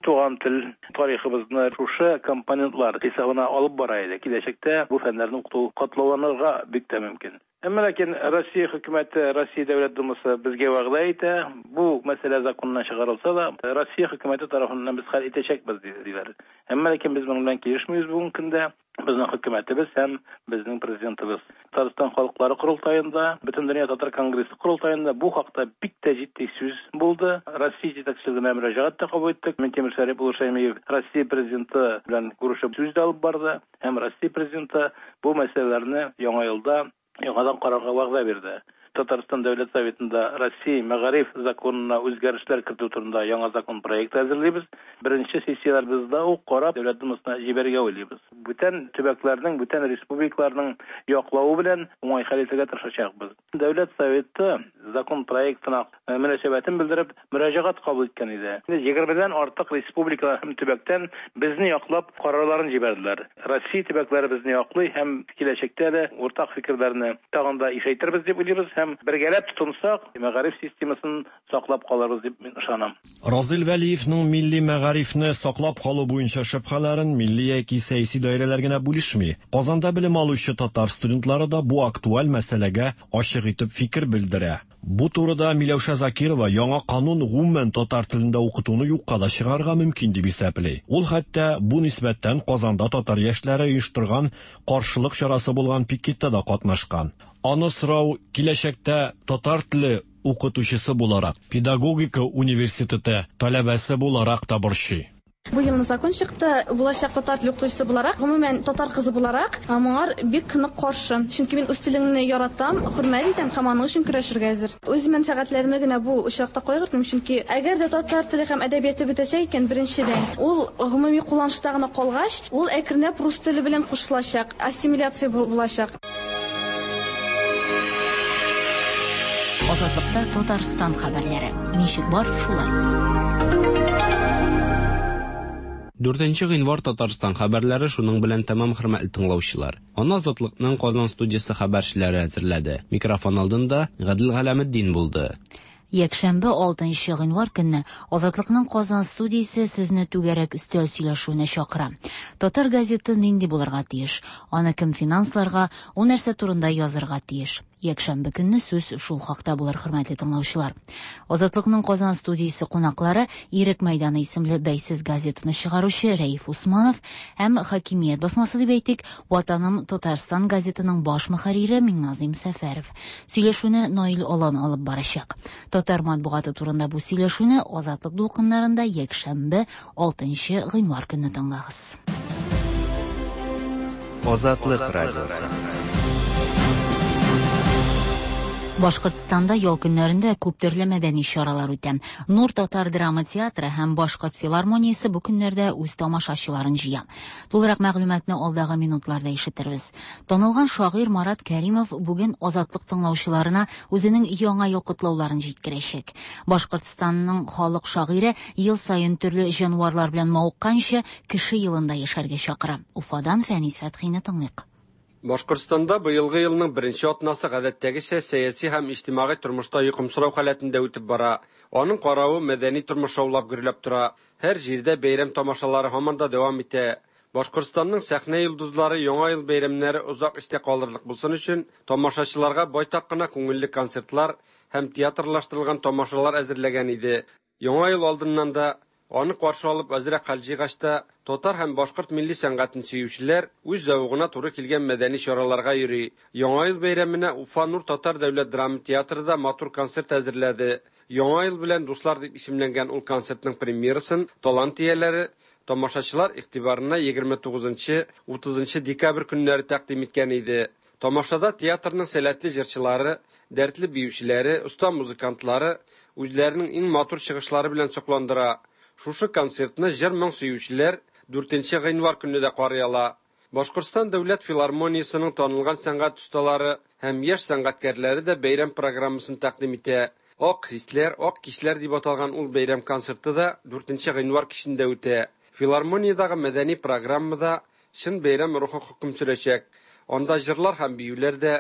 Туган тел тарихыбызны шушы компонентлар хисабына алып бара иде. Киләчәктә бу фәннәрне укыту катлауланырга бик тә мөмкин. Әмма ләкин Россия хөкүмәте, Россия Дәүләт Думасы безгә вәгъдә итә, бу мәсьәлә законнан чыгарылса да, Россия хөкүмәте тарафыннан без хәл итәчәкбез, диләр. Әмма ләкин без моның белән килешмибез бүгенге көндә. Безнең хөкүмәтебез һәм безнең президентыбыз. Татарстан халыклары корылтаенда, Бөтендөнья татар конгрессы корылтаенда бу хакта бик тә җитди сүз булды. Россия җитәкчелегенә мөрәҗәгать тә кабул иттек. Минтимер Шәрип улы Шәймиев Россия президенты белән күрешеп сүз дә алып барды һәм Россия президенты бу мәсьәләләрне яңа елда яңадан карарга вәгъдә бирде. Татарстан Дәүләт Советында Россия мәгариф законына үзгәрешләр кертү турында яңа закон проекты әзерлибез. Беренче сессияләребездә үк карап, Дәүләт Думасына җибәрергә уйлыйбыз. Бүтән төбәкләрнең, бүтән республикаларның яклавы белән уңай хәл итәргә тырышачакбыз. Дәүләт Советы закон проектына мөнәсәбәтен белдереп, мөрәҗәгать кабул иткән иде. Егермедән артык республикалар һәм төбәктән безне яклап карарларын җибәрделәр. Россия төбәкләре безне яклый һәм киләчәктә дә уртак фикерләрне тагын да ишәйтербез дип уйлыйбыз һәм бергәләп тотынсак, мәгариф системасын саклап калырбыз дип мин ышанам. Разил Вәлиевның милли мәгарифне саклап калу буенча шөбһәләрен милли яки сәяси даирәләр генә бүлешми. Казанда белем алучы татар студентлары да бу актуаль мәсьәләгә ачык итеп фикер белдерә. Бу турыда Миләүшә Закирова яңа канун гомумән татар телендә укытуны юкка да чыгарырга мөмкин дип исәпли. Ул хәтта бу нисбәттән Казанда татар яшьләре оештырган каршылык чарасы булган пикетта да катнашкан. Аны сорау киләчәктә татар теле укытучысы буларак, педагогика университеты таләбәсе буларак та борчый. Бу елны закон чыкты. Булачак татар теле укытучысы буларак, гомумән, татар кызы буларак, моңар бик нык каршы. Чөнки мин үз телеңне яратам, хөрмәт итәм һәм аның өчен көрәшергә әзер. Үз мәнфәгатьләремне генә бу очракта кайгыртмыйм, чөнки әгәр дә татар теле һәм әдәбияты бетәчәк икән, беренчедән, ул гомуми кулланышта гына калгач, ул әкренләп рус теле белән кушылачак, ассимиляция булачак. Азатлыкта Татарстан хәбәрләре. Ничек бар, шулай. 4 гыйнвар Татарстан хәбәрләре шуның белән тәмам, хөрмәтле тыңлаучылар. Аны Азатлыкның Казан студиясе хәбәрчеләре әзерләде. Микрофон алдында Гадел Галәметдин булды. Якшәмбе 6 гыйнвар көнне Азатлыкның Казан студиясе сезне түгәрәк өстәл сөйләшүенә чакыра. Татар газеты нинди булырга тиеш? Аны кем финансларга, ул нәрсә турында язырга тиеш? Якшәмбе көнне сүз шул хакта булыр, хөрмәтле тыңлаучылар. Азатлыкның Казан студиясе кунаклары Ирек мәйданы исемле бәйсез газетаны чыгаручы Рәиф Усманов һәм хакимият басмасы дип әйтик, Ватаным Татарстан газетының баш мөхәррире Миңназыйм Сәфәров. Сөйләшүне Наил Алан алып барачак. Татар матбугаты турында бу сөйләшүне Азатлык дулкыннарында якшәмбе 6 гыйнвар көнне тыңлагыз. Азатлык радиосы. Башкортстанда ял көннәрендә күп төрле мәдәни чаралар үтә. Нур татар драма театры һәм Башкорт филармониясе бу көннәрдә үз тамашачыларын җыя. Тулырак мәгълүматны алдагы минутларда ишетербез. Танылган шагыйрь Марат Кәримов бүген Азатлык тыңлаучыларына үзенең яңа ел котлауларын җиткерәчәк. Башкортстанның халык шагыйре ел саен төрле җанварлар белән мавыкканчы кеше елында яшәргә чакыра. Уфадан Фәнис Фәтхине тыңлыйк. Башкортстанда быелгы елның беренче атнасы гадәттәгечә сәяси һәм иҗтимагый тормышта йокымсырау халәтендә үтеп бара. Аның каравы мәдәни тормыш шаулап гөрләп тора. Һәр җирдә бәйрәм тамашалары һаман да дәвам итә. Башкортстанның сәхнә йолдызлары яңа ел бәйрәмнәре озак истә калырлык булсын өчен тамашачыларга байтак кына күңелле концертлар һәм театрлаштырылган тамашалар әзерләгән иде. Яңа ел алдыннан да аны каршы алып әзрәк хәл җыйгач та татар һәм башкорт милли сәнгатен сөючеләр үз зәвыгына туры килгән мәдәни чараларга йөри. Яңа ел бәйрәменә Уфа Нур татар дәүләт драма театры да матур концерт әзерләде. Яңа ел белән дуслар дип исемләнгән ул концертның премьерасын талант ияләре тамашачылар игътибарына 29-30 декабрь көннәре тәкъдим иткән иде. Тамашада театрның сәләтле җырчылары, дәртле биючеләре, оста музыкантлары үзләренең иң матур чыгышлары белән сокландыра. Шушы концертны җыр-моң сөючеләр 4 гыйнвар көнне дә карый ала. Башкортстан дәүләт филармониясенең танылган сәнгать осталары һәм яшь сәнгатькәрләре дә бәйрәм программасын тәкъдим итә. Ак хисләр, ак кичләр дип аталган ул бәйрәм концерты да 4 гыйнвар кичендә үтә. Филармониядәге мәдәни программада чын бәйрәм рухы хөкем сөрәчәк. Анда җырлар һәм биюләр дә,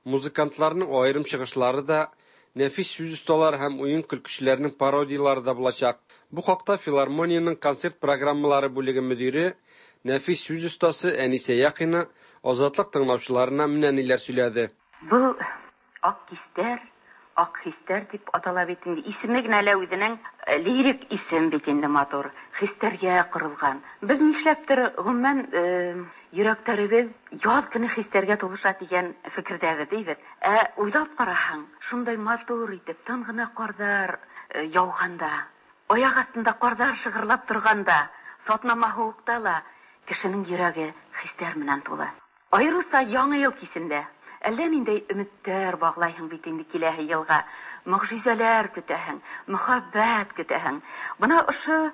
музыкантларның аерым чыгышлары да, нәфис сүз осталары һәм уен-көлкечеләрнең пародияләре дә булачак. Бу хакта филармониянең концерт программалары бүлеге мөдире, нәфис сүз остасы Әнисә Яхина Азатлык тыңлаучыларына менә ниләр сөйләде. Был Ак кистәр, ак хистәр дип атала бит инде. Исеме генә лә үзенең лирик исем бит инде матур. Хистәргә корылган. Без нишләптер, гомумән, йөрәкләребез яз көне хистәргә тулыша дигән фикердәбез, дибез. Ә уйлап караһаң, шундай матур итеп, тын гына кардар яуганда, аяк астында кардар шыгырлап торганда, сатнама һуыкта ла кешенең йөрәге хистәр менән тулы. Аеруча Яңа ел кисендә. Әллә ниндәй өметтәр баглайһың бит инде киләһе елга. Могҗизәләр көтәһең, мөхәббәт көтәһең. Бына ошо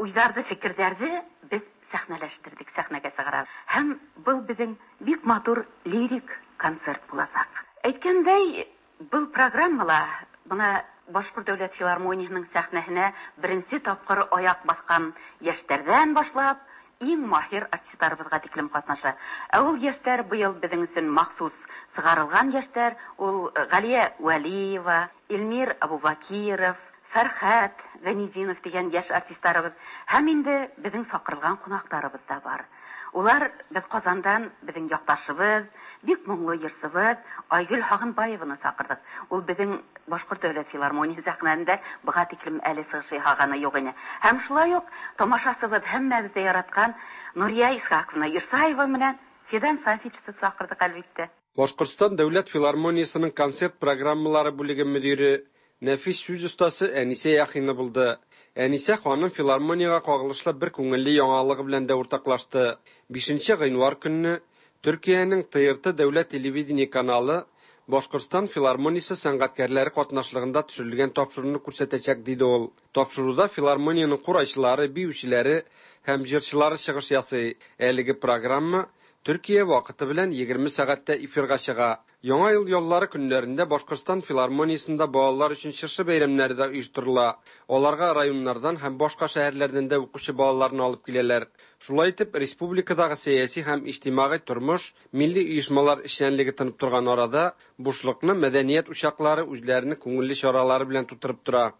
уйҙарҙы, фекерҙәрҙе беҙ сәхнәләштерҙек, сәхнәгә сығарабыҙ. Һәм был беҙҙең бик матур лирик концерт буласаҡ. Әйткәндәй, был программала бына Башҡорт дәүләт филармонияһының сәхнәһенә беренсе тапҡыр аяҡ баҫҡан йәштәрҙән башлап, иң маһир артистларыбыҙға тиклем ҡатнаша. Ә ул йәштәр быйыл беҙҙең өсөн махсус сығарылған йәштәр, ул Ғәлиә Вәлиева, Эльмир Абубакиров, Фәрхәт Гәнидинов тигән йәш артистларыбыҙ һәм инде беҙҙең саҡырылған ҡунаҡтарыбыҙ ҙа бар. Улар беҙ Ҡазандан беҙҙең яҡташыбыҙ, бик моңло йырсыбыҙ Айгөл Һағынбаеваны саҡырҙыҡ. Ул беҙҙең Башҡорт дәүләт филармонияһы сәхнәһендә быға тиклем әле сығыш яһағаны юҡ ине. Һәм шулай уҡ тамашасыбыҙ һәммәбеҙ ҙә яратҡан Нурия Исхаҡовна Ирсаева менән Фидан Сафичты саҡырҙыҡ, әлбиттә. Башҡортостан дәүләт филармониясының концерт программалары бүлеге мөдире, нәфис сүз остасы Әнисә Яхина булды. Әнисә ханым филармониягә кагылышлы бер күңелле яңалыгы белән дә уртаклашты. 5 гыйнвар көнне Төркиянең ТРТ дәүләт телевидение каналы Башкортстан филармониясе сәнгатькәрләре катнашлыгында төшерелгән тапшыруны күрсәтәчәк, диде ул. Тапшыруда филармониянең курайчылары, биючеләре һәм җырчылары чыгыш ясый. Әлеге программа Төркия вакыты белән 20 сәгатьтә эфирга чыга. Яңа ел яллары көннәрендә Башкортстан филармониясендә балалар өчен чыршы бәйрәмнәре дә оештырыла. Аларга районнардан һәм башка шәһәрләрдән дә укучы балаларны алып киләләр. Шулай итеп, республикадагы сәяси һәм иҗтимагый тормыш, милли оешмалар эшчәнлеге тынып торган арада, бушлыкны мәдәният учаклары үзләренең күңелле чаралары белән тутырып тора.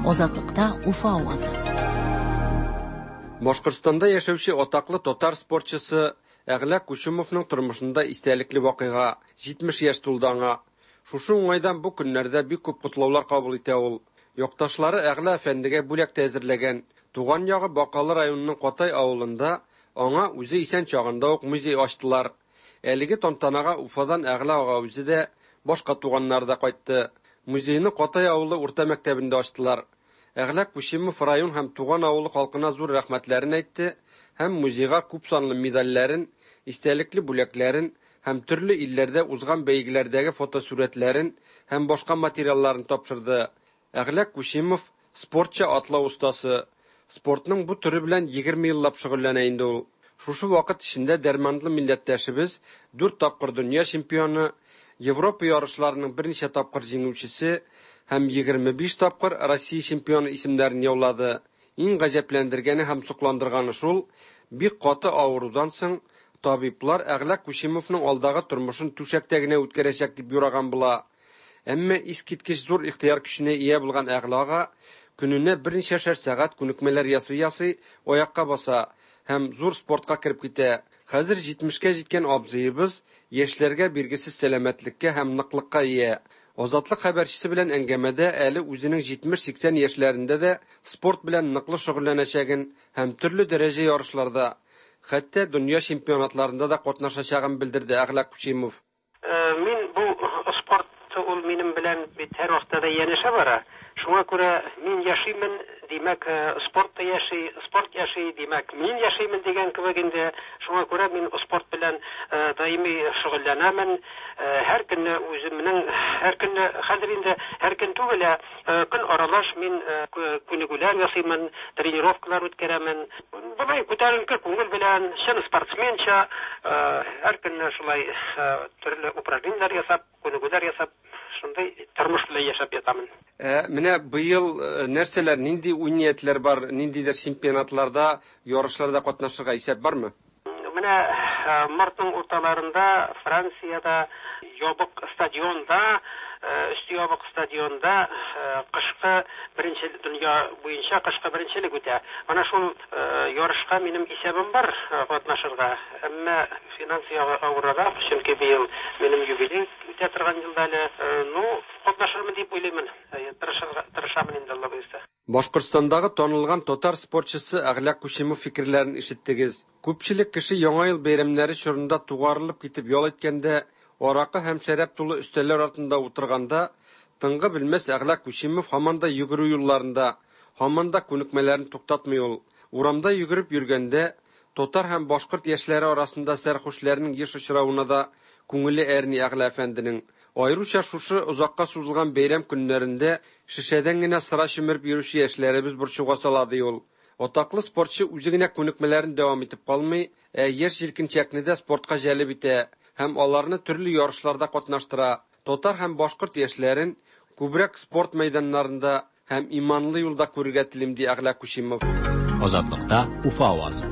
Азатлыкта Уфа авазы. Башкортстанда яшәүче атаклы татар спортчысы Әгълә Кучумовның тормышында истәлекле вакыйга 70 яшь тулды аңа. Шушы уңайдан бу көннәрдә бик күп котлаулар кабул итә ул. Якташлары Әгълә әфәндегә бүләк тә әзерләгән. Туган ягы Бакалы районының Катай авылында аңа үзе исән чагында ук музей ачтылар. Әлеге тантанага Уфадан Әгълә ага үзе дә, башка туганнары да кайтты. Музейны Катай авылы урта мәктәбендә ачтылар. Әгълә Кучимов район һәм туган авылы халкына зур рәхмәтләрен әйтте һәм музейга күпсанлы медальләрен, истәлекле бүләкләрен һәм төрле илләрдә узган бәйгеләрдәге фотосурәтләрен һәм башка материалларын тапшырды. Әгълә Кучимов спортчы атлау остасы. Спортның бу төре белән 20 еллап шөгыльләнә инде ул. Шушы вакыт эчендә дәрманлы милләттәшебез 4 тапкыр дөнья чемпионы, Европа ярышларының берничә тапкыр җиңүчесе һәм 25 тапкыр Россия чемпионы исемнәрен яулады. Иң гаҗәпләндергәне һәм сокландырганы шул, бик каты авырудан соң табиблар Әгълә Кучимовның алдагы тормышын түшәктә генә үткәрәчәк дип юраган була. Әмма искиткеч зур ихтыяр көченә ия булган Әгълә ага көненә берничәшәр сәгать күнекмәләр ясый-ясый аякка баса һәм зур спортка кереп китә. Хәзер 70-кә җиткән абзыебыз яшьләргә биргесез сәламәтлеккә һәм ныклыкка ия. Азатлык хәбәрчесе белән әңгәмәдә әле үзенең 70-80 яшьләрендә дә спорт белән ныклы шөгыльләнәчәген һәм төрле дәрәҗә ярышларда, хәтта дөнья чемпионатларында да катнашачагын белдерде Әгълә Кучимов. Мин бу спорт ул минем белән бит һәрвакытта да янәшә бара. Шуңа күрә мин яшимен, димәк, спорт та яши, спорт яши, димәк, мин яшимен дигән кебек инде. Шуңа күрә мин спорт белән даими шөгыльләнәмен. Һәр көнне үземнең, һәр көнне, хәзер инде һәр көн түгел, ә көн аралаш мин күнегүләр ясыймын, тренировкалар үткәрәмен. Болай күтәренке күңел белән, чын спортсменча, һәр көнне шулай төрле упражнениеләр ясап, күнегүләр ясап, шундый тормыш белән яшәп ятамын. Ә менә быел нәрсәләр, нинди уй-ниятләр бар, ниндидер чемпионатларда, ярышларда катнашырга исәп бармы? Менә мартның урталарында Франциядә ябык стадионда, өсте ябык стадионда кышкы беренче дөнья буенча кышкы беренчелек үтә. Менә шул ярышка минем исәбем бар катнашырга. Әмма финанс ягы авыррак, чөнки быел минем юбилей үтә торган елда әле. Ну, катнашырмын дип уйлыймын. Тырышырга тырышамын инде, Алла боерса. Башкортстандагы танылган татар спортчысы Әгълә Кучимов фикерләрен ишеттегез. Күпчелек кеше Яңа ел бәйрәмнәре чорында тугарылып китеп ял иткәндә, аракы һәм шәраб тулы өстәлләр артында утырганда, тынгы белмәс Әгълә Кучимов һаман да йөгерү юлларында, һаман да күнекмәләрен туктатмый ул. Урамда йөгереп йөргәндә, татар һәм башкорт яшьләре арасында сәрхушләрнең еш очравына да күңеле әрни Әгълә әфәнденең. Аеруча шушы озакка сузылган бәйрәм көннәрендә шешәдән генә сыра чөмереп йөрүче яшьләребез борчуга сала, ди ул. Атаклы спортчы үзе генә күнекмәләрен дәвам итеп калмый, ә яшь-җилкенчәкне дә спортка җәлеп итә һәм аларны төрле ярышларда катнаштыра. Татар һәм башкорт яшьләрен күбрәк спорт мәйданнарында һәм иманлы юлда күрергә телим, ди Әгълә Кучимов. Азатлыкта Уфа авазы.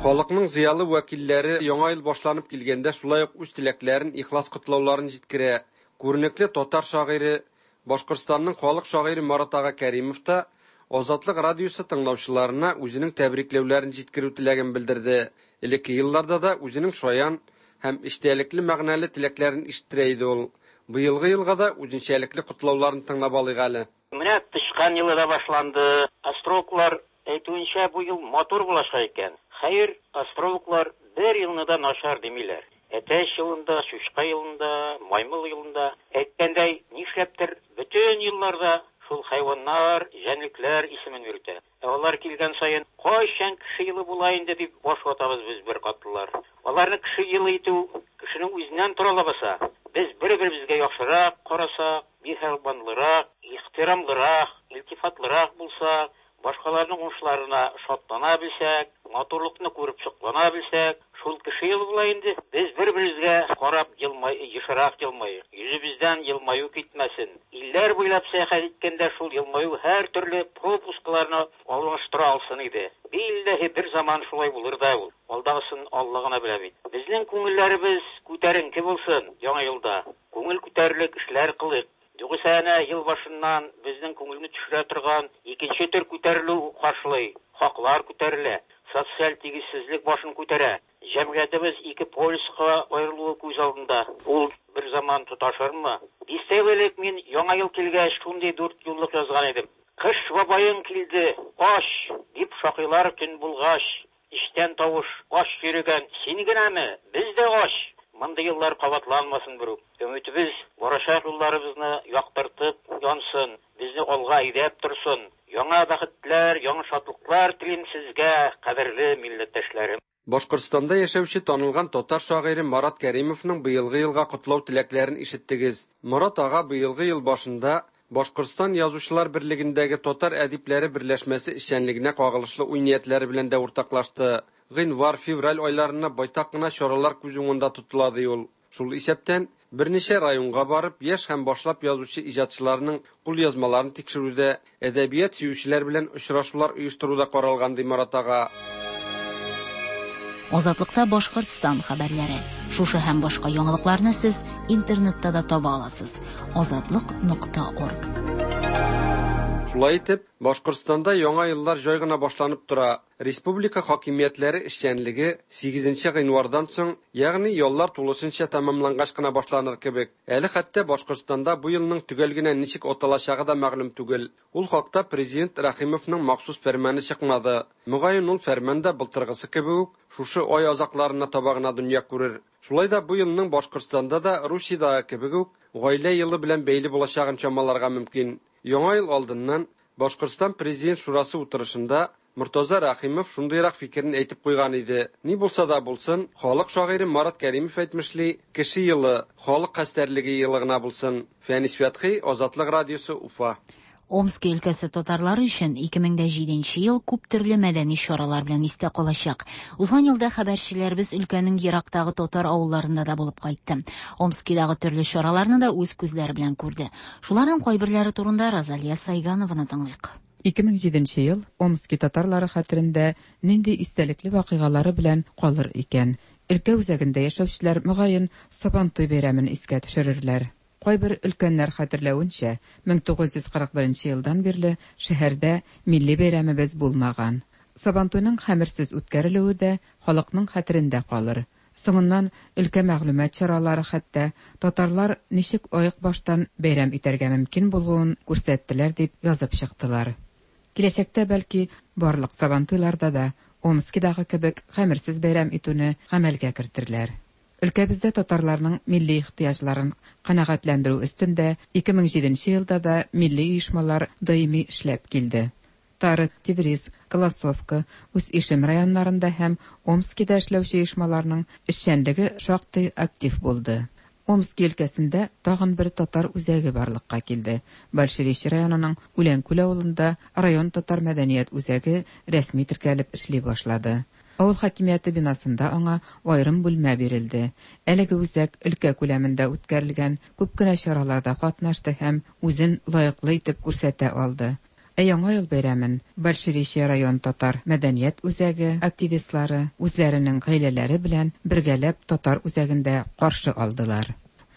Халыкның зыялы вәкилләре Яңа ел башланып килгәндә шулай ук үз теләкләрен, ихлас котлауларын җиткерә. Күренекле татар шагыйре, Башкортстанның халык шагыйре Марат ага Кәримов та Азатлык радиосы тыңлаучыларына үзенең тәбрикләүләрен җиткерү теләген белдерде. Элекке елларда да үзенең шаян һәм эчтәлекле мәгънәле теләкләрен ишеттерә иде ул. Быелгы елга да үзенчәлекле котлауларын тыңлап алыйк әле. Менә тычкан елы да башланды. Астрологлар әйтүенчә, бу ел матур булачак икән. Хәер, астрологлар бер елны да начар димиләр. Әтәч елында, чучка елында, маймыл елында. Әйткәндәй, нишләптер бөтен елларда шул хайваннар, җәнлекләр исемен йөртә. Ә алар килгән саен, кайчан кеше елы була инде дип баш ватабыз без беркатлылар. Аларны кеше елы итү кешенең үзеннән тора лабаса. Без бер-беребезгә яхшырак карасак, миһербанлырак, ихтирамлырак, илтифатлырак булсак, башкаларның уңышларына шатлана белсәк, матурлыкны күреп соклана белсәк, шул кеше елы була инде. Без бер-беребезгә карап елмай, ешрак елмаек. Йөзебездән елмаю китмәсен. Илләр буйлап сәяхәт иткәндә шул елмаю һәртөрле пропускларны алыштыра алсын иде. Билләһи, бер заман шулай булыр да ул. Алдагысын Алла гына белә бит. Безнең күңелләребез күтәренке булсын Яңа елда. Күңел күтәрерлек эшләр кылыйк. Югыйсә әнә ел башыннан безнең күңелне төшерә торган икенче төр күтәрелү каршылый, хаклар күтәрелә, социаль тигезсезлек башын күтәрә. Җәмгыятебез ике полюска аерылуы күз алдында. Ул бер заман тоташырмы? Дистә ел элек мин Яңа ел килгәч шундый дүртьюллык язган идем. Кыш бабаең килде, ач! дип шакыйлар төн булгач. Эчтән тавыш, Ач йөрегән син генәме? Без дә ач! Мондый еллар кабатланмасын берүк. Өметебез барачак юлларыбызны яктыртып янсын, безне алга әйдәп торсын. Яңа бәхетләр, яңа шатлыклар телим сезгә, кадерле милләттәшләрем! Башкортстанда яшәүче танылган татар шагыйре Марат Кәримовның быелгы елга котлау теләкләрен ишеттегез. Марат ага быелгы ел башында Башкортстан Язучылар берлегендәге татар әдипләре берләшмәсе эшчәнлегенә кагылышлы уй-ниятләре белән дә уртаклашты. Гыйнвар, февраль айларына байтак кына чаралар күз уңында тотыла, ди ул. Шул исәптән, берничә районга барып, яшь һәм башлап язучы иҗатчыларның кулъязмаларын тикшерү дә, әдәбият сөючеләр белән очрашулар оештыру да каралган, ди Марат ага. Азатлыкта Башкортстан хәбәрләре. Шушы һәм башка яңалыкларны сез интернетта да таба аласыз. Азатлык нокта орг. Шулай итеп, Башкортстанда яңа еллар җай гына башланып тора. Республика хакимиятләре эшчәнлеге сигезенче гыйнвардан соң, ягъни яллар тулысынча тәмамлангач кына башланыр кебек. Әле хәтта Башкортстанда бу елның төгәл генә ничек аталачагы да мәгълүм түгел. Ул хакта Президент Рәхимовның махсус фәрманы чыкмады. Мөгаен, ул фәрман да былтыргысы кебек үк шушы ай азакларына таба гына дөнья күрер. Шулай да бу елның Башкортстанда да Русиядәге кебек үк Гаилә елы белән бәйле булачагын чамаларга мөмкин. Яңа ел алдыннан Башкортстан Президент шурасы утырышында Мортаза Рәхимов шундыйрак фикерен әйтеп куйган иде. Ни булса да булсын, халык шагыйре Марат Кәримов әйтмешли, кеше елы, халык хәстәрлеге елы гына булсын. Фәнис Фәтхи, Азатлык радиосы, Уфа. Омски өлкәсе татарлары өчен 2007 нче ел күп төрле мәдәни чаралар белән истә калачак. Узган елда хәбәрчеләребез өлкәнең ерактагы татар авылларында да булып кайтты. Омскидагы төрле чараларны да үз күзләре белән күрде. Шуларның кайберләре турында Розалия Сайганованы тыңлыйк. 2007 нче ел Омски татарлары хәтерендә нинди истәлекле вакыйгалары белән калыр икән? Өлкә үзәгендә яшәүчеләр, мөгаен, Сабантуй бәйрәмен искә төшерерләр. Кайбер өлкәннәр хәтерләвенчә, 1941 нче елдан бирле шәһәрдә милли бәйрәмебез булмаган. Сабантуйның хәмерсез үткәрелүе дә халыкның хәтерендә калыр. Соңыннан өлкә мәгълүмат чаралары хәтта татарлар ничек аек баштан бәйрәм итәргә мөмкин булуын күрсәттеләр дип язып чыктылар. Киләчәктә, бәлки, барлык Сабантуйларда да Омскидагы кебек хәмерсез бәйрәм итүне гамәлгә кертерләр. Өлкәбездә татарларның милли ихтыяҗларын канәгатьләндерү өстендә 2007 нче елда да милли оешмалар даими эшләп килде. Тары, Тевриз, Колосовка, Усть-Ишем районнарында һәм Омскида эшләүче оешмаларның эшчәнлеге шактый актив булды. Омски өлкәсендә тагын бер татар үзәге барлыкка килде, Большеречье районының Үләнкүл авылында район татар мәдәният үзәге рәсми теркәлеп эшли башлады. Авыл хакимияте бинасында аңа аерым бүлмә бирелде. Әлеге үзәк өлкә күләмендә үткәрелгән күп кенә чараларда катнашты һәм үзен лаеклы итеп күрсәтә алды. Ә Яңа ел бәйрәмен Большеречье район татар мәдәният үзәге активистлары үзләренең гаиләләре белән бергәләп татар үзәгендә каршы алдылар.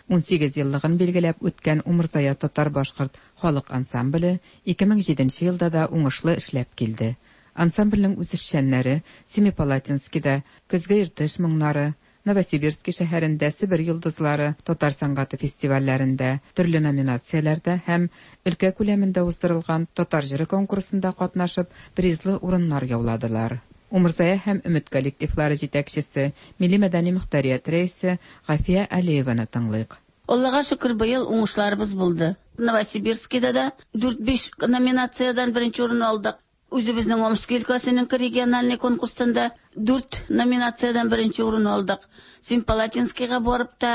18 еллыгын билгеләп үткән Умырзая татар-башкорт халык ансамбле 2007 нче елда да уңышлы эшләп килде. Ансамбльнең үзешчәннәре Семипалатинскида Көзге Иртыш моңнары, Новосибирски шәһәрендә Себер йолдызлары татар сәнгате фестивальләрендә төрле номинацияләрдә һәм өлкә күләмендә уздырылган Татар җыры конкурсында катнашып, призлы урыннар яуладылар. Умырзая һәм Өмет коллективлары җитәкчесе, милли-мәдәни мохтарият рәисе Гафия Алиеваны тыңлыйк. Аллага шөкер, быел уңышларыбыз булды. Новосибирскида да дүрт-биш номинациядән беренче урын алдык. Үзебезнең Омски өлкәсенең региональный конкурстан да дүрт номинациядән беренче урын алдык. Семипалатинскийга барып та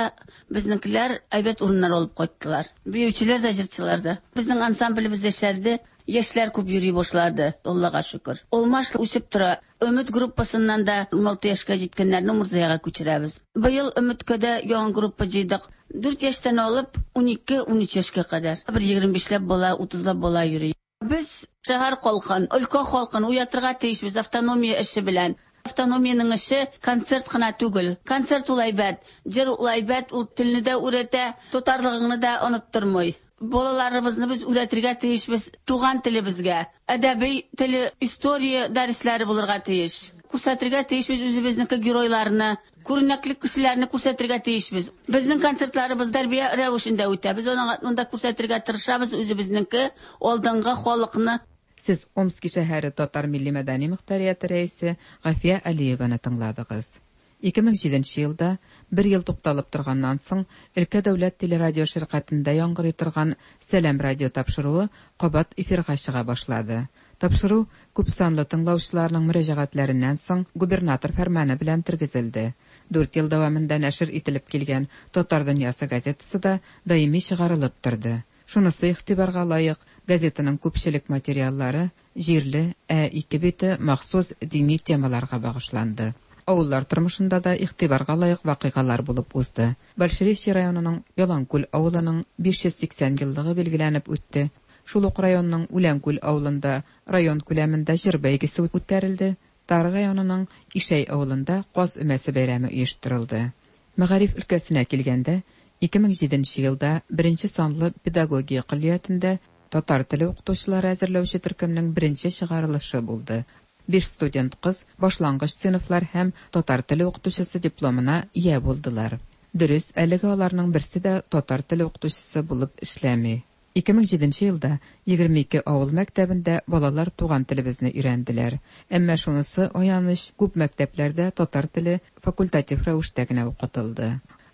безнекеләр әйбәт урыннар алып кайттылар. Биючеләр дә, җырчылар да. Безнең ансамблебез яшәрде, яшьләр күп йөри башлады, Аллага шөкер. Алмаш үсеп тора. Өмет группасыннан да 16 яшькә җиткәннәрне Умырзаяга күчерәбез. Быел Өметкә дә яңа группа җыйдык. Дүрт яшьтән алып 12-13 яшькә кадәр. Бер 25 ләп бала, 30 лап бала йөри. Без шәһәр халкын, өлкә халкын уятырга тиешбез автономия эше белән. Автономиянең эше концерт кына түгел. Концерт ул әйбәт, җыр ул әйбәт, ул телне дә үрәтә, татарлыгыңны да оныттырмый. Балаларыбызны без үрәтергә тиешбез туган телебезгә. Әдәби теле, история дәресләре булырга тиеш. Күрсәтергә тиешбез үзебезнеке геройларны, күренекле кешеләрне күрсәтергә тиешбез. Безнең концертларыбыз тәрбия рәвешендә үтә. Без аның анда күрсәтергә тырышабыз үзебезнеке алдынгы халыкны. Сез Омски шәһәре татар милли-мәдәни мохтарияте рәисе Гафия Алиеваны тыңладыгыз. 2007 нче елда, бер ел тукталып торганнан соң, өлкә дәүләт телерадиоширкәтендә яңгырый торган Сәлам радиотапшыруы кабат эфирга чыга башлады. Тапшыру күпсанлы тыңлаучыларның мөрәҗәгатьләреннән соң губернатор фәрманы белән тергезелде. Дүрт ел дәвамында нәшер ителеп килгән Татар дөньясы газетасы да даими чыгарылып торды. Шунысы игътибарга лаек, газетаның күпчелек материаллары җирле, ә ике бите махсус дини темаларга багышланды. Авыллар тормышында да игътибарга лаек вакыйгалар булып узды. Большеречье районының Яланкүл авылының 580 еллыгы билгеләнеп үтте. Шул ук районның Үләнкүл авылында район күләмендә җыр бәйгесе үткәрелде, Тары районының Ишәй авылында Каз өмәсе бәйрәме оештырылды. Мәгариф өлкәсенә килгәндә, 2007 нче елда беренче санлы педагогия көллиятендә татар теле укытучылары әзерләүче төркемнең беренче чыгарылышы булды. Биш студент кыз башлангыч сыйныфлар һәм татар теле укытучысы дипломына ия булдылар. Дөрес, әлегә аларның берсе дә татар теле укытучысы булып эшләми. 2007 елда 22 авыл мәктәбендә балалар туган телебезне өйрәнделәр. Әмма шунысы аяныч, күп мәктәпләрдә татар теле факультатив рәвештә генә укытылды.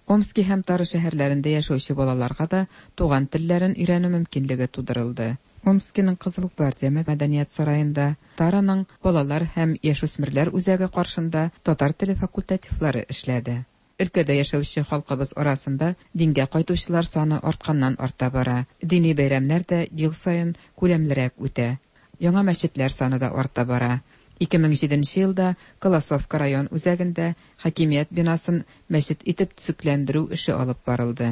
Омски һәм Тара шәһәрләрендә яшәүче балаларга да туган телләрен өйрәнү мөмкинлеге тудырылды. Омскиның Кызыл гвардия мәдәният сараенда, Тараның Балалар һәм яшүсмерләр үзәге каршында татар теле факультативлары эшләде. Өлкәдә яшәүче халкыбыз арасында дингә кайтучылар саны артканнан-арта бара. Дини бәйрәмнәр дә ел саен күләмлерәк үтә. Яңа мәчетләр саны да арта бара. 2007 нче елда Колосовка район үзәгендә хакимият бинасын мәчет итеп төзекләндерү эше алып барылды.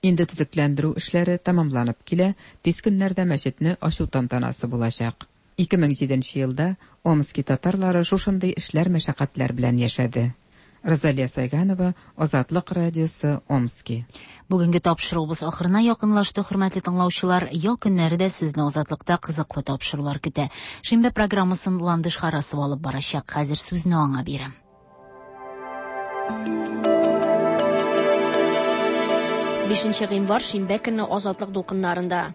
Инде төзекләндерү эшләре тәмамланып килә, тиз көннәрдә мәчетне ачу тантанасы булачак. 2007 нче елда Омски татарлары шушындый эшләр-мәшәкатьләр белән яшәде. Розалия Сайганова, Азатлык радиосы, Омски. Бүгенге тапшыруыбыз ахырына якынлашты, хөрмәтле тыңлаучылар. Ял көннәре дә сезне Азатлыкта кызыклы тапшырулар көтә. Шимбә программасын Ландыш Харасова алып барачак. Хәзер сүзне аңа бирәм. Бишенче гыйнвар шимбә көнне Азатлык дулкыннарында.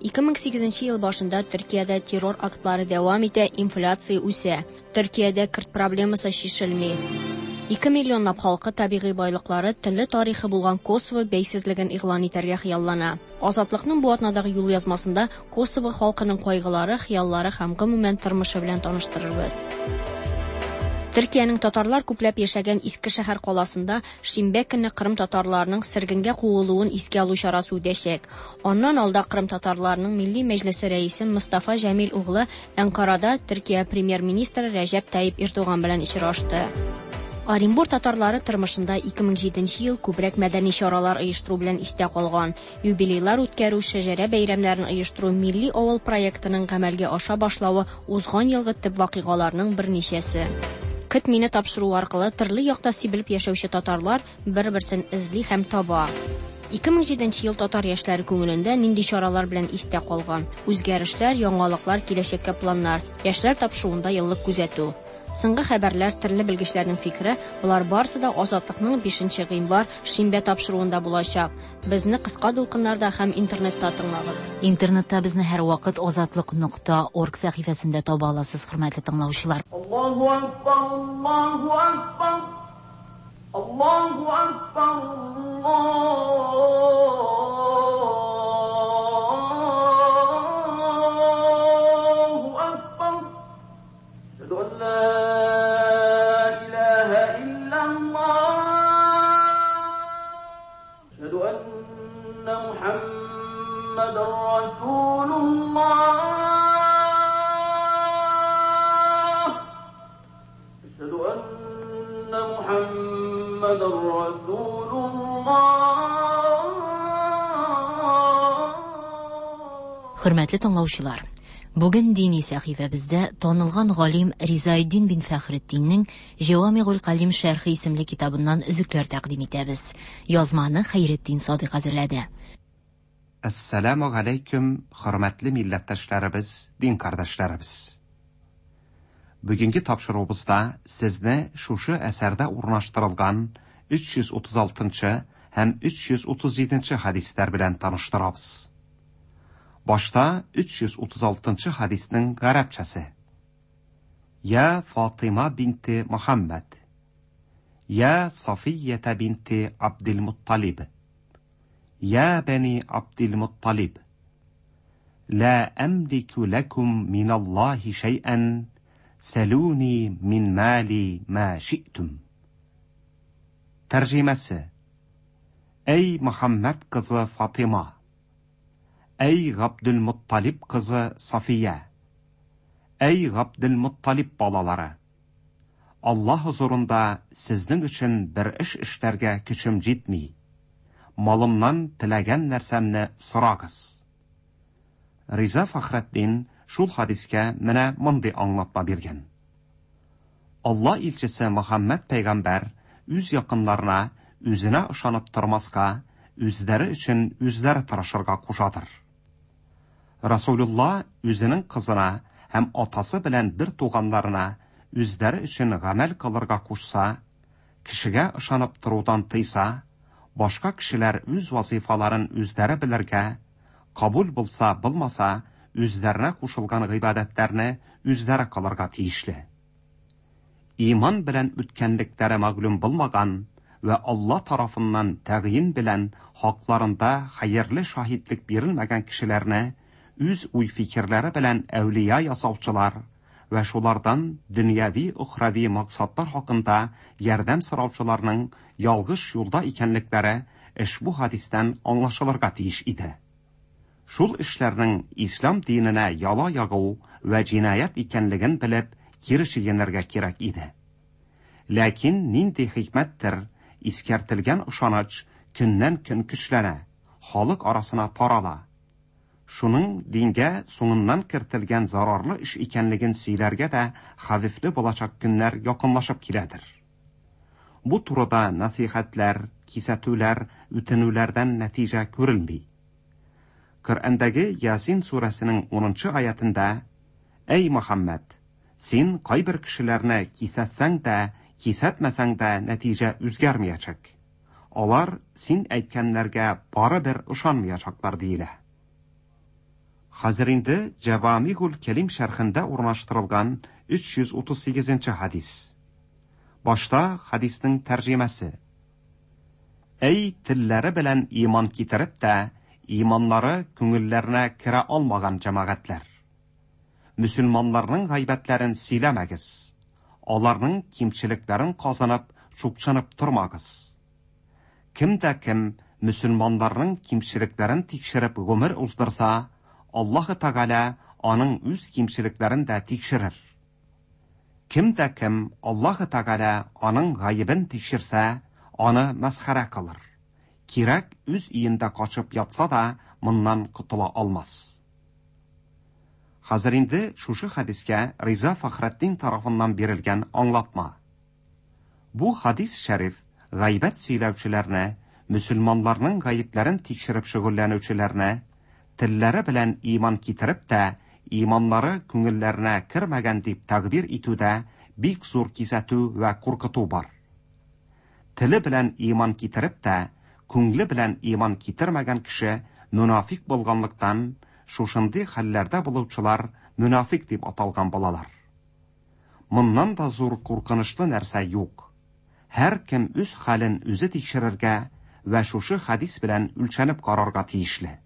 2008 ел башында Төркиядә террор актлары дәвам итә, инфляция үсә. Төркиядә көрд проблемасы чишелми. 2 миллионлап халкы табигый байлыклары, телле тарихы булган Косово бәйсезлеген игълан итәргә хыяллана. Азатлыкның бу атнадагы юлъязмасында Косово халкының кайгылары, хыяллары һәм гомумән тормышы белән таныштырырбыз. Төркиянең татарлар күпләп яшәгән Иске шәһәр каласында шимбә көнне Кырым татарларының сөргенгә куылуын искә алу чарасы үтәчәк. Аннан алда Кырым татарларының Милли мәҗлесе рәисе Мостафа Җәмил углы Әнкарада Төркия премьер-министры Рәҗәп Тайип Эрдоган белән очрашты. Оренбур татарлары тормышында 2007 ел күбрәк мәдәни чаралар оештыру белән истә калган. Юбилейлар үткәрү, шәҗәрә бәйрәмнәрен оештыру, Милли авыл проектының гамәлгә аша башлавы узган елгы төп вакыйгаларның берничәсе. Көт мине тапшыруы аркылы төрле якта сибелеп яшәүче татарлар бер-берсен эзли һәм таба. 2007 ел татар яшьләре күңелендә нинди чаралар белән истә калган? Үзгәрешләр, яңалыклар, киләчәккә планнар, яшьләр тапшыруында еллык күзәтү. Соңгы хәбәрләр, төрле белгечләрнең фикере, болар барысы да Азатлыкның 5 гыйнвар шимбә тапшыруында булачак. Безне кыска дулкыннарда һәм интернетта тыңлагыз. Интернетта безне һәрвакыт азатлык нокта орг сәхифәсендә таба аласыз, хөрмәтле тыңлаучылар. Аллаһу акбар, Аллаһу акбар, Аллаһу акбар, Аллаһу акбар. Әшһәду ан ла илаһа иллаллаһ. Әшһәду анна Мухаммадан расулуллаһ. Әшһәду анна Мухаммадан расулуллаһ. Хөрмәтле тыңлаучылар, бүген дини сәхифәбездә танылган галим Ризаэддин бин Фәхретдиннең Җәвамигуль Калим шәрхе исемле китабыннан өзекләр тәкъдим итәбез. Язманы Хәйретдин Садыйк әзерләде. Әссәламү галәйкүм, хөрмәтле милләттәшләребез, дин кардәшләребез. Бүгенге тапшыруыбызда сезне шушы әсәрдә урнаштырылган 336 һәм 337 хәдисләр белән таныштырабыз. Башта 336 хәдиснең гарәпчәсе. Я Фатыйма бинте Мөхәммәд. Я Сафиятә бинте Абделмутталиб. Я бәни Абделмутталиб. Ла әмлику ләкум миналлаһи шәйән, сәлүни мин мали ма ши'тум. Тәрҗемәсе. Әй Мөхәммәд кызы Фатыйма. Әй Габделмутталиб кызы Сафия. Әй Габделмутталиб балалары. Аллаһ хозурында сезнең өчен бер эш эшләргә көчем җитми. Малымнан теләгән нәрсәмне сорагыз. Риза Фәхретдин шул хадискә менә мондый аңлатма биргән. Алла илчесе Мөхәммәд пәйгамбәр үз якыннарына үзенә ышанып тормаска, үзләре өчен үзләре тырышырга кушадыр. Расулулла үзенең кызына һәм атасы белән бер туганнарына үзләре өчен гамәл кылырга кушса, кешегә ышанып торудан тыйса, башка кешеләр үз вазыйфаларын үзләре белергә, кабул булса, булмаса, үзләренә кушылган гыйбадәтләрне үзләре кылырга тиешле. Иман белән үткәнлекләре мәгълүм булмаган вә Алла тарафыннан тәгъйин белән хакларында хәерле шаһитлек бирелмәгән кешеләрне үз уй-фикерләре белән әүлия ясаучылар вә шулардан дөньяви-өхрәви максатлар хакында ярдәм сораучыларның ялгыш юлда икәнлекләре эшбу хәдистән аңлашылырга тиеш иде. Шул эшләрнең ислам диненә яла ягу вә җинаять икәнлеген белеп, кире чигенергә кирәк иде. Ләкин нинди хикмәттер, искәртелгән ышаныч көннән-көн көчләнә, халык арасына тарала. Шуның дингә соңыннан кертелгән зарарлы эш икәнлеген сөйләргә дә хәвефле булачак көннәр якынлашып киләдер. Бу турыда нәсыйхәтләр, кисәтүләр, үтенүләрдән нәтиҗә күрелми. Коръәндәге Ясин сүрәсенең унынчы аятендә, Әй Мөхәммәд! Син кайбер кешеләрне кисәтсәң дә, кисәтмәсәң дә нәтиҗә үзгәрмиячәк. Алар син әйткәннәргә барыбер ышанмыячаклар, диелә. Хәзер инде Җәвамигуль Кәлим шәрхендә урнаштырылган 338 нче хәдис. Башта хәдиснең тәрҗемәсе. Әй, телләре белән иман китереп тә, иманнары күңелләренә керә алмаган җәмәгатьләр! Мөселманнарның гайбәтләрен сөйләмәгез, аларның кимчелекләрен казынып, чукчынып тормагыз. Кем дә кем мөселманнарның кимчелекләрен тикшереп гомер уздырса, Аллаһы Тәгалә аның үз кимчелекләрен дә тикшерер. Кем дә кем Аллаһы Тәгалә аның гаебен тикшерсә, аны мәсхәрә кылыр. Кирәк үз өендә качып ятса да, моннан котыла алмас. Хәзер инде шушы хәдискә Риза Фәхретдин тарафыннан бирелгән аңлатма. Бу хәдис шәриф гайбәт сөйләүчеләрне, мөселманнарның гаепләрен тикшереп шөгыльләнүчеләрне, телләре белән иман китереп тә, иманнары күңелләренә кермәгән дип тәгъбир итүдә бик зур кисәтү вә куркыту бар. Теле белән иман китереп тә, күңле белән иман китермәгән кеше мөнафикъ булганлыктан, шушындый хәлләрдә булучылар мөнафикъ дип аталган булалар. Моннан да зур куркынычлы нәрсә юк. Һәркем үз хәлен үзе тикшерергә вә шушы хәдис белән үлчәнеп карарга тиешле.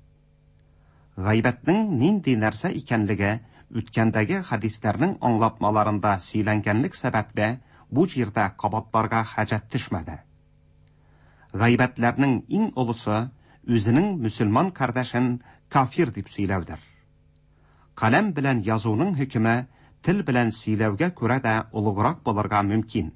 Гайбәтнең нинди нәрсә икәнлеге үткәндәге хәдисләрнең аңлатмаларында сөйләнгәнлек сәбәпле бу җирдә кабатларга хаҗәт төшмәде. Гайбәтләрнең иң олысы үзенең мөселман кардәшен кафир дип сөйләүдер. Каләм белән язуның хөкеме тел белән сөйләүгә күрә дә олуграк булырга мөмкин.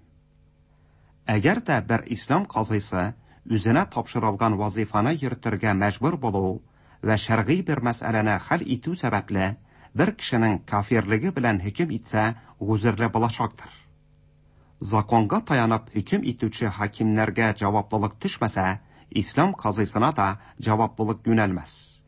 Әгәр дә бер ислам казыйсы үзенә тапшырылган вазыйфаны йөртергә мәҗбүр булу вә шәргый бер мәсьәләне хәл итү сәбәпле бер кешенең кафирлеге белән хөкем итсә, гозерле булачактыр. Законга таянып хөкем итүче хакимнәргә җаваплылык төшмәсә, ислам казыйсына да җаваплылык юнәлмәс.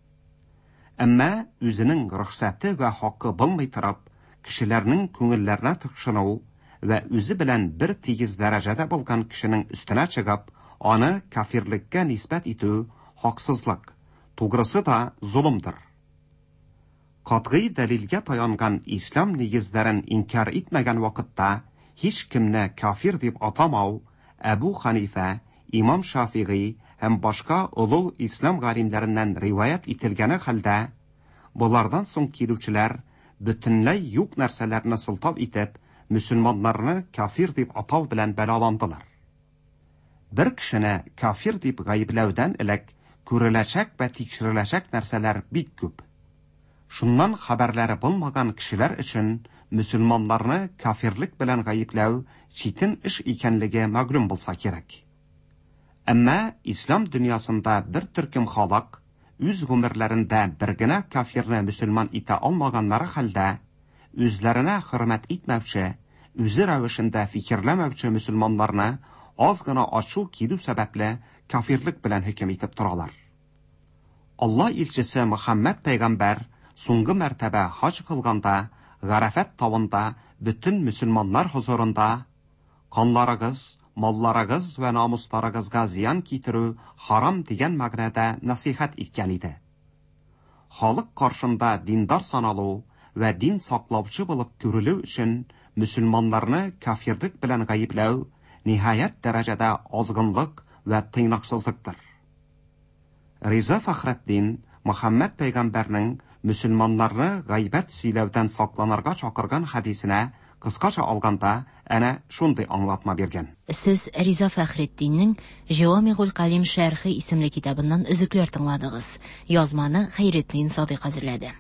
Әмма үзенең рөхсәте вә хакы булмый торып, кешеләрнең күңелләренә тыкшыну вә үзе белән бер тигез дәрәҗәдә булган кешенең өстенә чыгып, аны кафирлеккә нисбәт итү хаксызлык, тугрысы да золымдыр. Катгый дәлилгә таянган ислам нигезләрен инкяр итмәгән вакытта һичкемне кафир дип атамау Әбу Хәнифә, имам Шафигый һәм башка олуг ислам галимнәреннән риваять ителгәне хәлдә, болардан соң килүчеләр бөтенләй юк нәрсәләрне сылтау итеп, мөселманнарны кафир дип атау белән бәлаландылар. Бер кешене кафир дип гаепләүдән элек күреләчәк вә тикшереләчәк нәрсәләр бик күп. Шуннан хәбәрләре булмаган кешеләр өчен мөселманнарны кафирлек белән гаепләү читен эш икәнлеге мәгълүм булса кирәк. Әмма ислам дөньясында бер төркем халык үз гомерләрендә бер генә кафирны мөселман итә алмаганнары хәлдә, үзләренә хөрмәт итмәүче, үзе рәвешендә фикерләмәүче мөселманнарны аз гына ачу килү сәбәпле кафирлек белән хөкем итеп торалар. Алла илчесе Мөхәммәд пәйгамбәр соңгы мәртәбә хаҗ кылганда Гарәфәт тавында бөтен мөселманнар хозурында канларыгыз, малларыгыз вә намусларыгызга зыян китерү харам дигән мәгънәдә нәсыйхәт иткән иде. Халык каршында диндар саналу вә дин саклаучы булып күрелү өчен мөселманнарны кафирлек белән гаепләү ниһаять дәрәҗәдә азгынлык вә тыйнаксызлыктыр. Риза Фәхретдин Мөхәммәд пәйгамбәрнең мөселманнарны гайбәт сөйләүдән сакланырга чакырган хәдисенә кыскача алганда әнә шундый аңлатма биргән. Сез Риза Фәхретдиннең Җәвамигуль Калим шәрхе исемле китабыннан өзекләр тыңладыгыз. Язманы Хәйретдин Садыйк әзерләде.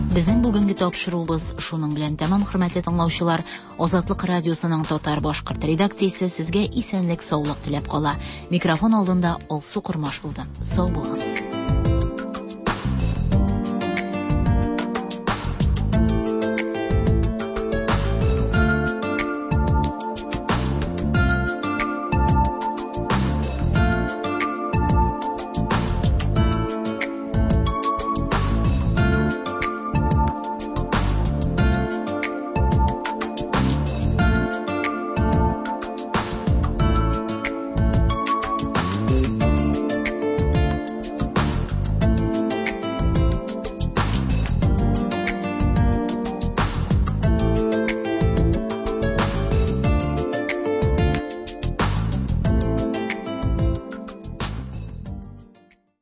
Безнең бүгенге тапшыруыбыз шуның белән тәмам, хөрмәтле тыңлаучылар. Азатлык радиосының татар башкорт редакциясе сезгә исәнлек, саулык теләп кала. Микрофон алдында Алсу Кормаш булды. Сау булыгыз.